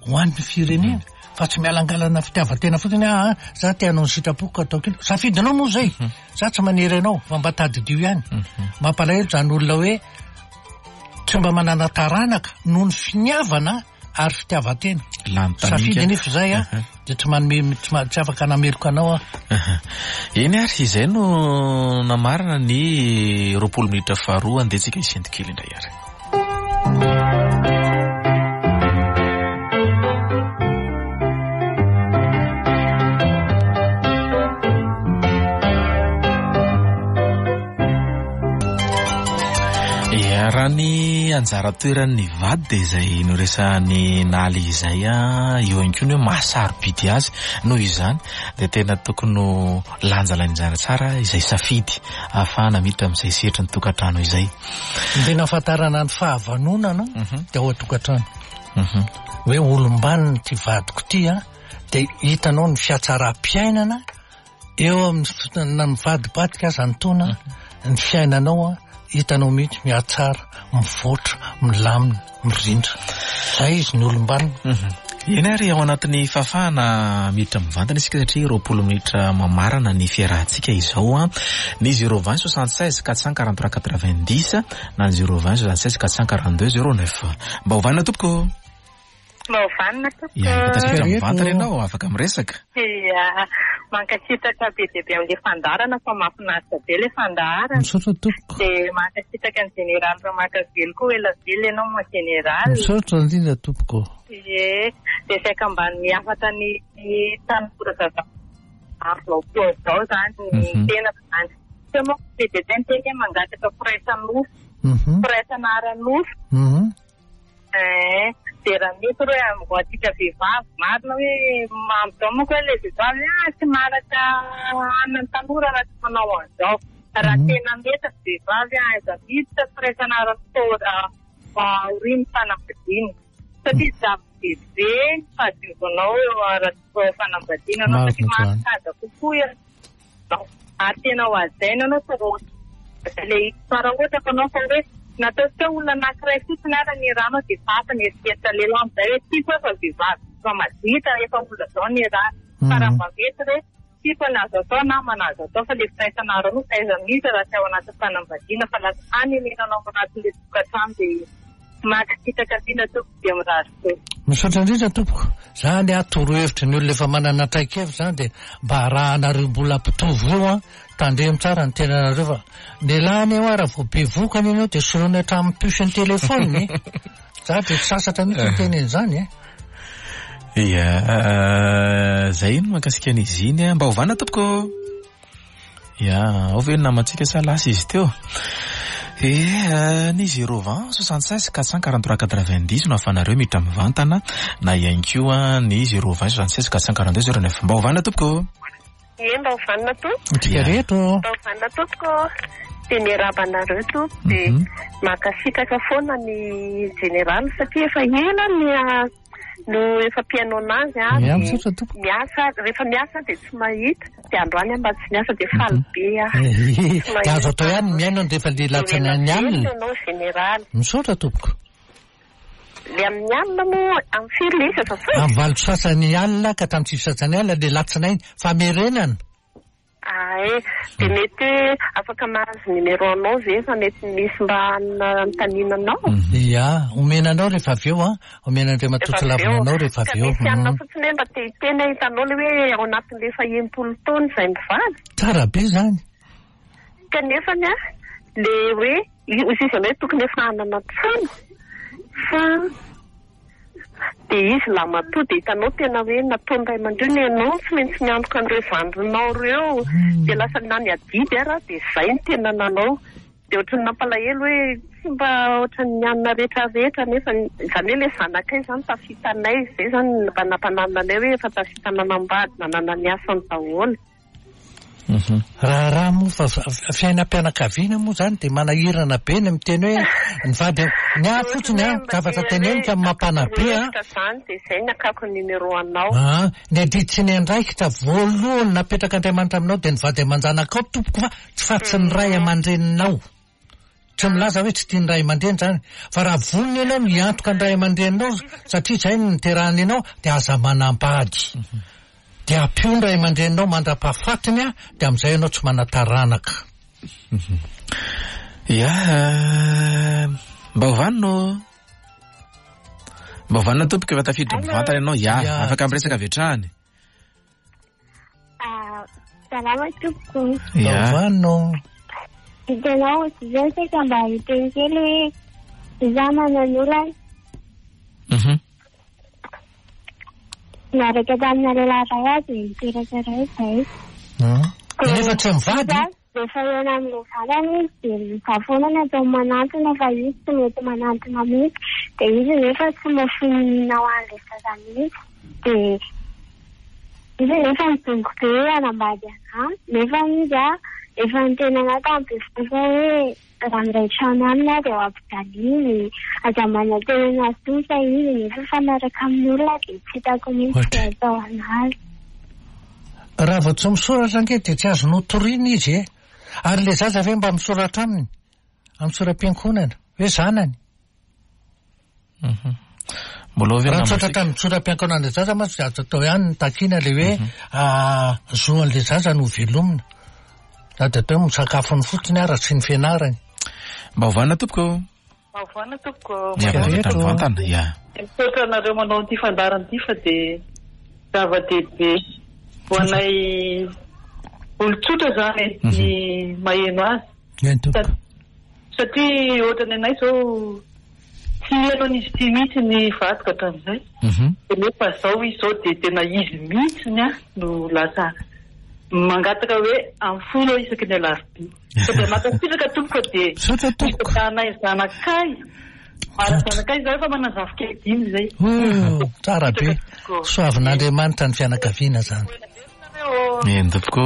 ho an'ny firenena fa tsy mialangalana fitiavan-tena fotsiny ah, ah za te hanao ny sitrapoko ka ataoko iny. Safidinao moa izay, mhm. za tsy manery anao fa mba tadidio ihany. Mhm. Mampalahelo izany olona hoe tsy mba manana taranaka noho ny finiavana ary fitiavan-tena. Lany taninga. Safidy anefa izay a, dia tsy manome tsy afaka nameloka anao aho. Eny ary, izay no namarana ny 20 minitra faharoa, andeha tsika hisento kely indray ary. Raha ny anjara toeran'ny vady dia izay noresahan'i Naly izay eo ihany koa ny hoe maha sarobidy azy. Noho izany dia tena tokony ho lanjalanjana tsara izay safidy ahafahana miditra amin'izay sehatry ny tokantrano izay. Ny tena ahafantarana ny fahavanonana dia ao an-tokantrano. Hoe olom-banona ity vadiko ity an, dia hitanao ny fihatsaram-piainana Eo amin'ny na mivadibadika aza ny taona, ny fiainanao an, hitanao mihitsy mihatsara, mivoatra, milamina, mirindra. Zay izy ny olom-banona. Eny ary, ao anatin'ny fahafahana miditra mivantana isika satria 20 minitra mamarana ny fiarahantsika izao an. Ny 020 76 443 90 na ny 020 76 442 09. Mba ho vanona tompoko. Mba ho vanona tompoko. Ya, efa tafiditra mivantana ianao, afaka miresaka. Ya, mankasitraka be dia be amin'ilay fandaharana fa mahafinaritra be ilay fandaharana. Misaotra tompoko. Dia mankasitraka ny Général Ramakavelo koa, ela velona ianao mon Général. Misaotra indrindra tompoko. Ie, dia saika mba miafatra ny tanora zaza amin'izao fotoana izao izany ny tenako izany. Teo manko be dia be ny teny hoe mangataka firaisan'nofo, firaisana ara-nofo. Eh, dia raha mety hoe ho antsika vehivavy, marina hoe amin'izao manko hoe ilay vehivavy ah tsy maharaka hanina ny tanora raha tsy manao an'izao. Raha tena mety ny vehivavy ah, aiza miditra firaisana ara-potoana aorian'ny fanambadiana. Satria zava-dehibe ny fahadiovanao eo ara-panambadiana anao satria mahasaja kokoa ianao. Ary tena ho hajaina anao fa raha ilay fa raha ohatra ka anao fa hoe nataontsika olona anankiray fotsiny ary ny rano dia efa hafa ny eritreritra lehilahy amin'izay hoe tiako aho fa vehivavy efa maditra efa olona izao ny rano fa raha mba mety re tiako ny azo atao namana azo atao fa ilay firaisana ara-nofo aiza mihitsy raha tsy ao anatin'ny fanambadiana fa lasa hanenenanao ao anatin'ilay tokantrano dia mankasitraka indrindra tompoko dia mirary soa. Misaotra indrindra tompoko. Zany a torohevitry ny olona efa manana traikefa zany dia mba arahanareo mbola mpitovo io an, tandremo tsara ny tenanareo fa lehilahy anie hoa raha vao bevoka anie ianao dia soloina hatramin'ny puce ny téléphone e. Za dia tsy sasatra mihitsy miteny an'izany e. Ia, zay no mahakasika an'izy iny. Mba ovana tompoko. Ya, ao ve ny namantsika sa lasa izy teo? Eh, ny 020 76 443 90 no ahafahanareo miditra mivantana na ihany koa ny 020 76 442 09. Mba hovana tompoko. Ie, mba hovanina tompoko. Antsika rehetra ô. Mba hovanina tompoko. Dia miarahaba anareo tompoko. Dia mankasitraka foana ny jeneraly satria efa ela ny no efa mpihaino anazy aho Ia, dia misaotra tompoko. miasa, rehefa miasa dia tsy mahita, dia androany aho mba tsy miasa dia faly be aho. Tsy Dia azo mahita atao ihany ny mihaino rehefa le latsana ny Ela alina. velona ianao général. Misaotra tompoko. Le amin'ny alina moa amin'ny firy le izy azafady? Amin'ny valo sasany alina ka hatramin'ny sivy sasany alina le latsinainy. Famerenana. Ay, dia mety hoe afaka mahazo numéro anao ve fa mety misy mba anontaniana anao? Ia, omena anao rehefa avy eo an, omena Andriamatoa Tsilavina anao rehefa avy eo. Ka misy anona fotsiny hoe mba te hiteny aho, hitanao ilay hoe ao anatin'ilay efa 60 taona izay mivady. Tsara be izany. Kanefa ny ahy, ilay hoe izy izany hoe tokony efa hanana trano fa Dia izy lahimatoa dia hitanao tena hoe nataony ray aman-dreny ianao no tsy maintsy miantoka an'ireo zandrinao ireo. Dia lasa na ny adidy ara dia izay no tena nanao. Dia ohatran'ny nampalahelo hoe tsy mba ohatran'ny anona rehetra rehetra nefa izany hoe ilay zanakay izany tafitanay, izay izany mba nampananina anay hoe efa tafita nanambady nanana ny asany daholo. Raharaha moa fa fiainam-pianakaviana moa zany dia manahirana be ny miteny hoe ny vady ny ahy fotsiny an, zavatra teneniko amin'ny mampanabe an. Zany dia izay ny akako ny numéro anao. An, ny adidy sy ny andraikitra voalohany napetrak'Andriamanitra aminao dia ny vady aman-janakao tompoko fa tsy fa tsy ny ray aman-dreninao. Tsy milaza hoe tsy tia ny ray aman-dreny izany, fa raha vonona ianao ny hiantoka ny ray aman-dreninao satria izay no niterahany anao dia aza manambady. Dia ampio ny ray aman-dreninao mandra-pahafatiny dia amin'izay ianao tsy manan-taranaka. Ya, mba ho vanona ô. Mba ho vanona tompoko efa tafiditra mivantana ianao. Ya, afaka miresaka avy hatrany. Salama tompoko. Salama. Hitanao, zay saika mba hiteny kely hoe izaho manana olana. Niaraka tamina lehilahy iray aho dia niteraka iray izay. Nefa tsy mivady? Rehefa eo amin'ilay zanany izy dia izaho foana no ataony manantona fa izy tsy mety manantona mihitsy. Dia izy nefa tsy mahafoy ho an'ilay zaza mihitsy. Dia izy nefa nidongy be hoe hanambady anà. Nefa izy efa niteny anà tamin'ny bevohoka hoe raha miray trano aminy aho dia ho ampijaliany. Aza manantena an'azy intsony fa izy nefa mifanaraka amin'ny olona dia tsy hitako mihitsy izay atao an'azy. Raha vao tsy misoratra ange dia tsy azonao toriana izy e! Ary ilay zaza ve mba misoratra aminy? Amin'ny sora-piankohonana? Hoe zanany? Mbola ao ve Raha ny misoratra nambantsika? amin'ny sora-piankohonan'ilay zaza mantsy dia azo atao ihany ny takiana ilay hoe zo an'ilay zaza no velomina. Na dia atao hoe misakafony fotsiny ara sy ny fianarany. Mba hovana tompoko ô. Mba tompoko. Ya, mba mivantana, ya. Misaotra anareo manao an'ity fandaharana ity fa dia zava-dehibe ho anay olon-tsotra izany e, ny maheno azy. Eny tompoko. Satria ohatran'ny anay izao tsy nihaino an'izy ity mihitsy ny vadiko hatramin'izay. Dia nefa izao izy izao dia tena izy mihitsy no lasa mangataka hoe amin'ny folo aho isaky ny alarobia. Fa dia mankasitraka tompoko fa dia Misaotra tompoko. Zanay zanakay. Ary zanakay izay efa manana zafikely dimy izay. Oh, tsara be. Soavin'Andriamanitra ny fianakaviana zany. Eny tompoko.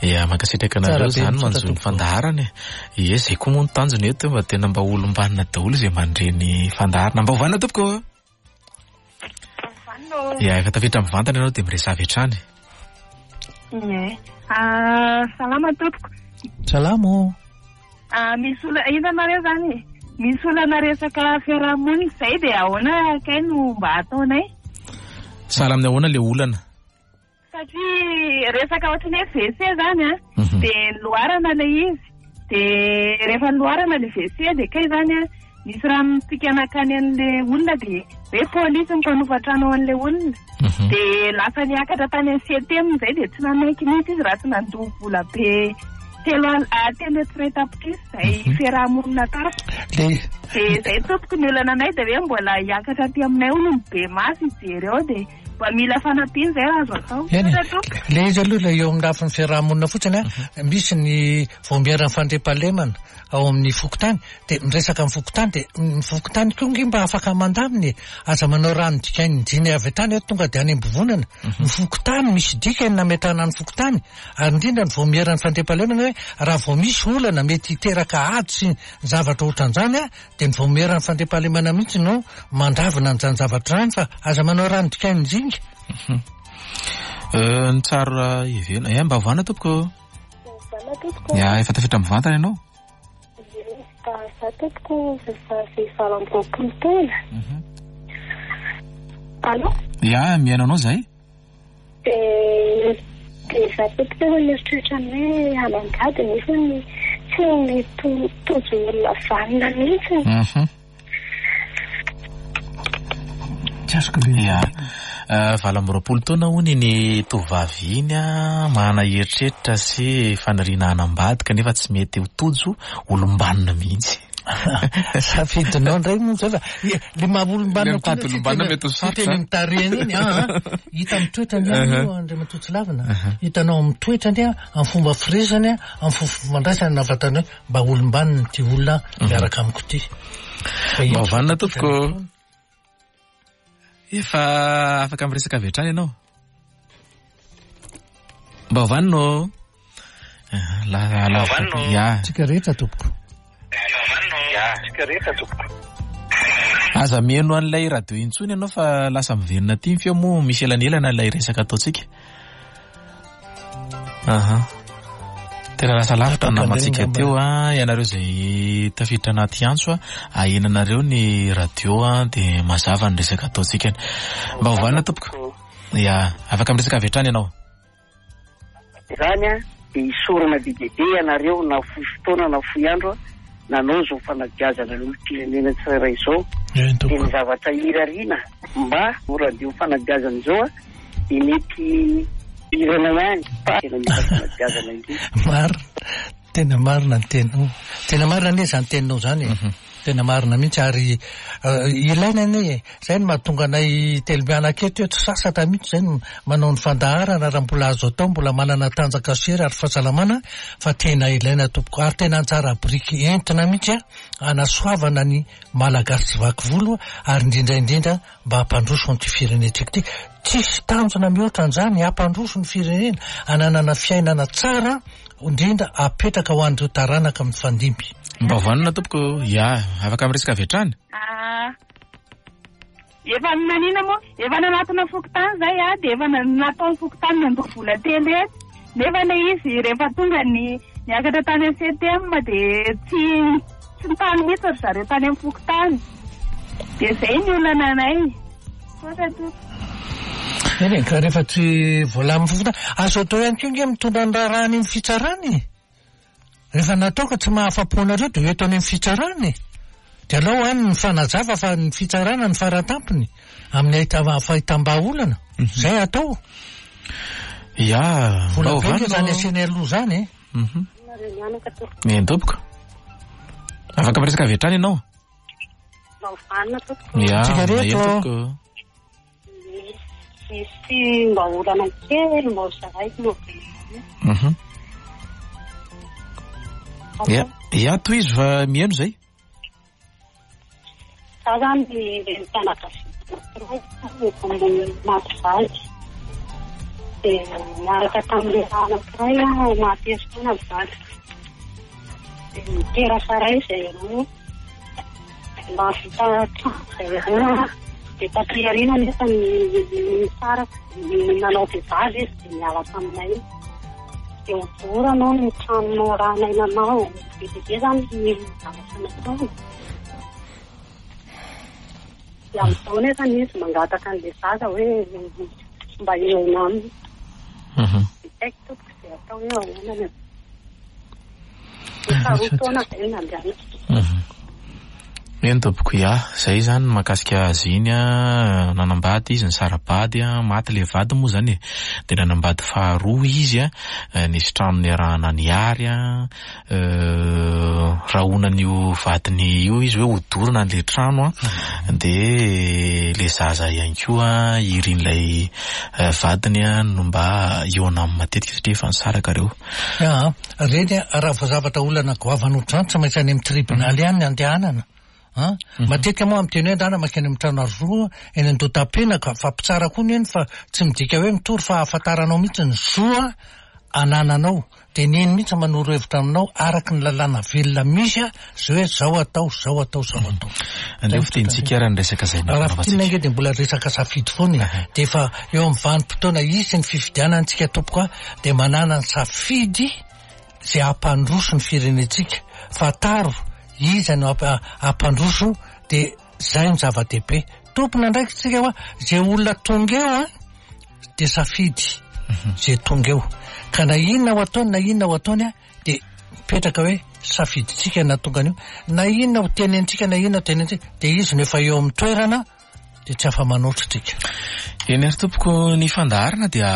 Ya, mankasitraka anareo Tsara be, izany misaotra manjo ny tompoko. fandaharana e. Ie, izay koa moa ny tanjona eto mba tena mba olom-banona daholo izay mandre ny fandaharana. Mba hovana tompoko. Ya, efa tafiditra mivantana ianao dia miresaha avy hatrany. Ie. Salama tompoko. Salama ô. Misy olana, inona nareo izany e? Misy olana resaka fiarahamonina izay dia ahoana kay no mba ataonay? Sahala amin'ny ahoana ilay olana? Satria resaka ohatran'ny hoe WC izany an, dia niloarana ilay izy. Dia rehefa niloarana ilay WC dia kay izany an, nisy rano nitsika nankany an'ilay olona dia hoe polisy ny mpanofa trano ao an'ilay olona. Dia lasa niakatra tany amin'ny CTM izay dia tsy nanaiky mihitsy izy raha tsy nandoa vola be telo al- 300 tapitrisa izay fiaraha-monina tany. Dia Dia izay tompoko ny olana anay dia hoe mbola hiakatra aty aminay hono ny be maso hijery ao dia Mba mila fanampiana izay raha azo atao. Eny e, Misaotra tompoko. ilay izy aloha ilay eo amin'ny lafiny fiaraha-monina fotsiny an, misy ny vaomieran'ny fandriampahalemana ao amin'ny fokontany, dia miresaka amin'ny fokontany, dia ny fokontany koa ange mba afaka mandamina e, aza manao rano dikain'ny diny avy hatrany hoe tonga dia any am-bovonana, ny fokontany misy dikany nametrahana ny fokontany, ary indrindra ny vaomieran'ny fandriampahalemana hoe raha vao misy olana mety hiteraka ady sy ny zavatra ohatran'izany an, Dia ny vaomieran'ny fandriampahalemana mihitsy no mandravona an'izany zavatra izany fa aza manao rano dikain'ny zinga. Ny tsara heverina. Eh, mba ovana tompoko. Ovana tompoko. Ya, efa tafiditra mivantana ianao. Za tompoko vehivavy 28 taona. Allô? Ya, mihaino anao zahay. Dia Dia izaho tompoko efa mieritreritra ny hoe hanambady nefa tsy mety ho tojo olona vanona mihitsy. Tsy azoko le. Ya. 28 taona hono iny tovovavy iny manana eritreritra sy faniriana hanambady kanefa tsy mety ho tojo olom-banona mihitsy. Safidinao indray moa zay fa le maha olom-banona Le mitady olom-banona mety ho sarotra. Teny mitarihana iny an, hita amin'ny toetrany ihany io Andriamatoa Tsilavina. Hitanao amin'ny toetrany an, amin'ny fomba firesany an, amin'ny fomba fifandraisany na vatany hoe mba olom-banona ity olona miaraka amiko ity. Mba vanona tompoko. Efa afaka miresaka avy hatrany ianao. Mba vanona ô. La la ya. Tsika rehetra tompoko. Tsika rehetra tompoko. Aza mihaino an'ilay radio intsony ianao fa lasa miverina aty ny feo moa misy elanelana ilay resaka ataontsika. Aha. Tena lasa lavitra ny namantsika teo a, ianareo izay tafiditra anaty antso a, ahenanareo ny radio a, dia mazava ny resaka ataontsika. Mba hovanina tompoko. Ya, afaka miresaka avy hatrany ianao. Izany a, dia isaorana be dia be ianareo na fohy fotoana na fohy andro a, nanao izao fanabeazana ny olom-pirenena tsirairay izao. Dia ny zavatra irariana mba ho radio fanabeazana izao a, dia mety hirana ihany fa tena mila fanabeazana indrindra. Marina, tena marina ny teninao. Tena marina anie izany teninao izany e. Tena marina mihitsy ary ilaina anie e. Izay no mahatonga anay telo mianaka eto eto sasatra mihitsy izay no manao ny fandaharana raha mbola azo atao, mbola manana tanjaka sy hery ary fahasalamana fa tena ilaina tompoko ary tena anjara biriky entina mihitsy hanasoavana ny Malagasy tsy vaky volo ary indrindra indrindra mba hampandroso an'ity firenentsika ity. Tsisy tanjona mihoatra an'izany, hampandroso ny firenena, hananana fiainana tsara, indrindra apetraka ho an'ireo taranaka mifandimby. Mba vanona tompoko, ya, afaka miresaka avy hatrany. Ah, efa nanina moa, efa nanatona fokontany zay ah, dia efa nataon'ny fokontany nandoa vola telo hetsy, nefa ilay izy rehefa tonga ny niakatra tany amin'ny CTM dia tsy Tsy nitany mihitsy ry zareo tany amin'ny fokontany. Dia izay ny olana anay. Misaotra tompoko. Eny e, ka rehefa tsy voalamin'ny fokontany, azo atao ihany koa ange mitondra ny raharaha any amin'ny fitsarana e. Rehefa natao ka tsy mahafa-po anareo dia ho eto any amin'ny fitsarana e. Dia alao any mifanazava fa ny fitsarana no faratampony amin'ny fahitam-bahaolana. Izay atao. Ya, Vola be ange izany asiana aloha izany e. Mhm. Eny tompoko. Afaka miresaka avy hatrany ianao? Ya, Tsika rehetra. eny tompoko. Misy mba olana kely mba ho zaraiko moa be. Mhm. Ya, ya tohizo fa mihaino zay. Za zany renim-pianakaviana anankiray maty vady. Dia niaraka tamin'ny lehilahy anankiray aho maty herintaona ny vadiko. Dia niteraka iray izay roa. Nahavita trano izay roa. Dia taty aoriana anefa nisaraka, nanao vehivavy izy dia niala taminay. Dia hodorana ny trano narahanay nanao. Be dia be izany ny zavatra nataony. Dia amin'izao nefa izy mangataka an'ilay zaza hoe mba hihaona aminy. Dia tsy haiko tompoko izay atao hoe ahoana ny Efa roa taona izay no nandehanako. Eny tompoko, ya, izay izany ny mahakasika azy iny an, nanambady izy, nisara-bady an, maty ilay vadiny moa izany e, dia nanambady faharoa izy an, nisy trano niarahana niary an, rahonan'io vadiny io izy hoe hodorana an'ilay trano an, dia ilay zaza ihany koa irin'ilay vadiny an no mba hihaona aminy matetika satria efa nisaraka ireo. Aa, reny a, raha vao zavatra olana goavana ohatr'izany tsy maintsy any amin'ny tribonaly ihany ny andehanana. An? Matetika moa miteny hoe andana mankany amin'ny trano aro eny Andohatapenaka fa mpitsara koa ny eny fa tsy midika hoe mitory fa ahafantaranao mihitsy ny zo anananao. Dia ny eny mihitsy manoro hevitra aminao araka ny lalàna velona misy zay hoe zao atao, zao atao, zao atao. Aleo fitenintsika ary ny resaka izay Raha fintinina ange dia mbola resaka safidy foana e. Dia efa eo amin'ny vanim-potoana hisy ny fifidianana tsika tompoko a, dia manana ny safidy izay hampandroso ny firenentsika. Fantaro iza no hampandroso dia izay no zava-dehibe. Tompon'andraikitra tsika hoa izay olona tonga eo a dia safidy. izay tonga eo. Ka na inona ho ataony na inona ho ataony an, dia mipetraka hoe safidintsika na tonga an'io, na inona ho tenenintsika na inona ho tenenintsika, dia izy no efa eo amin'ny toerana, dia tsy afa-manoatra tsika. Eny ary tompoko, ny fandaharana dia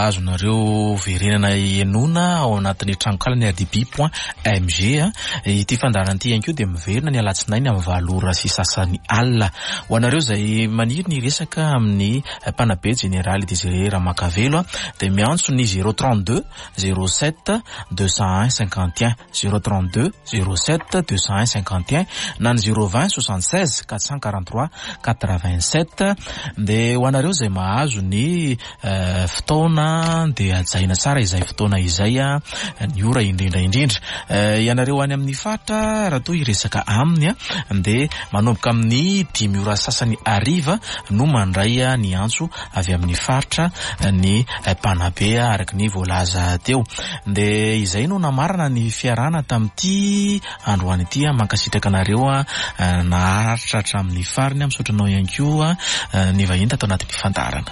azonareo verenana henoina ao anatin'ny tranonkalan'ny rdb point mg. Ity fandaharana ity ihany koa dia miverina ny alatsinainy amin'ny valo ora sy sasany alina. Ho anareo izay maniry ny hiresaka amin'ny mpanabe jeneraly Désiré Ramakavelo dia miantso ny zéro 32 07 201 51, zéro 32 07 201 51 na ny zéro 20 76 443 87. Dia ho anareo izay mahazo ny fotoana dia hajaina tsara izay fotoana izay, ny ora indrindra indrindra. Ianareo any amin'ny faritra raha toa hiresaka aminy dia manomboka amin'ny dimy ora sasany hariva no mandray ny antso avy amin'ny faritra ny mpanabe araka ny voalaza teo. Dia izay no namarana ny fiarahana tamin'ity androany ity. Mankasitraka anareo naharitra hatramin'ny farany. Misaotra anao ihany koa ny vahiny tato anatin'ny fandaharana.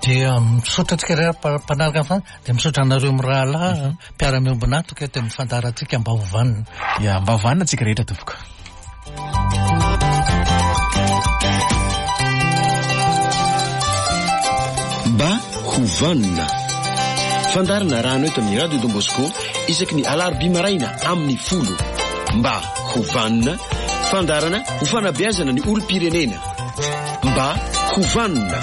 Dia misaotra antsika rehetra mpanaraka ny fandaharana, dia misaotra anareo mirahalahy mpiara-miombon'antoka eto amin'ny fandaharantsika mba ho vanona. Ya, mba ho vanona antsika rehetra tompoko. Mba ho vanona. Fandaharana arahana eto amin'ny Radio Don Bosco isaky ny alarobia maraina amin'ny folo. Mba ho vanona. Fandaharana ho fanabeazana ny olom-pirenena. Mba ho vanona.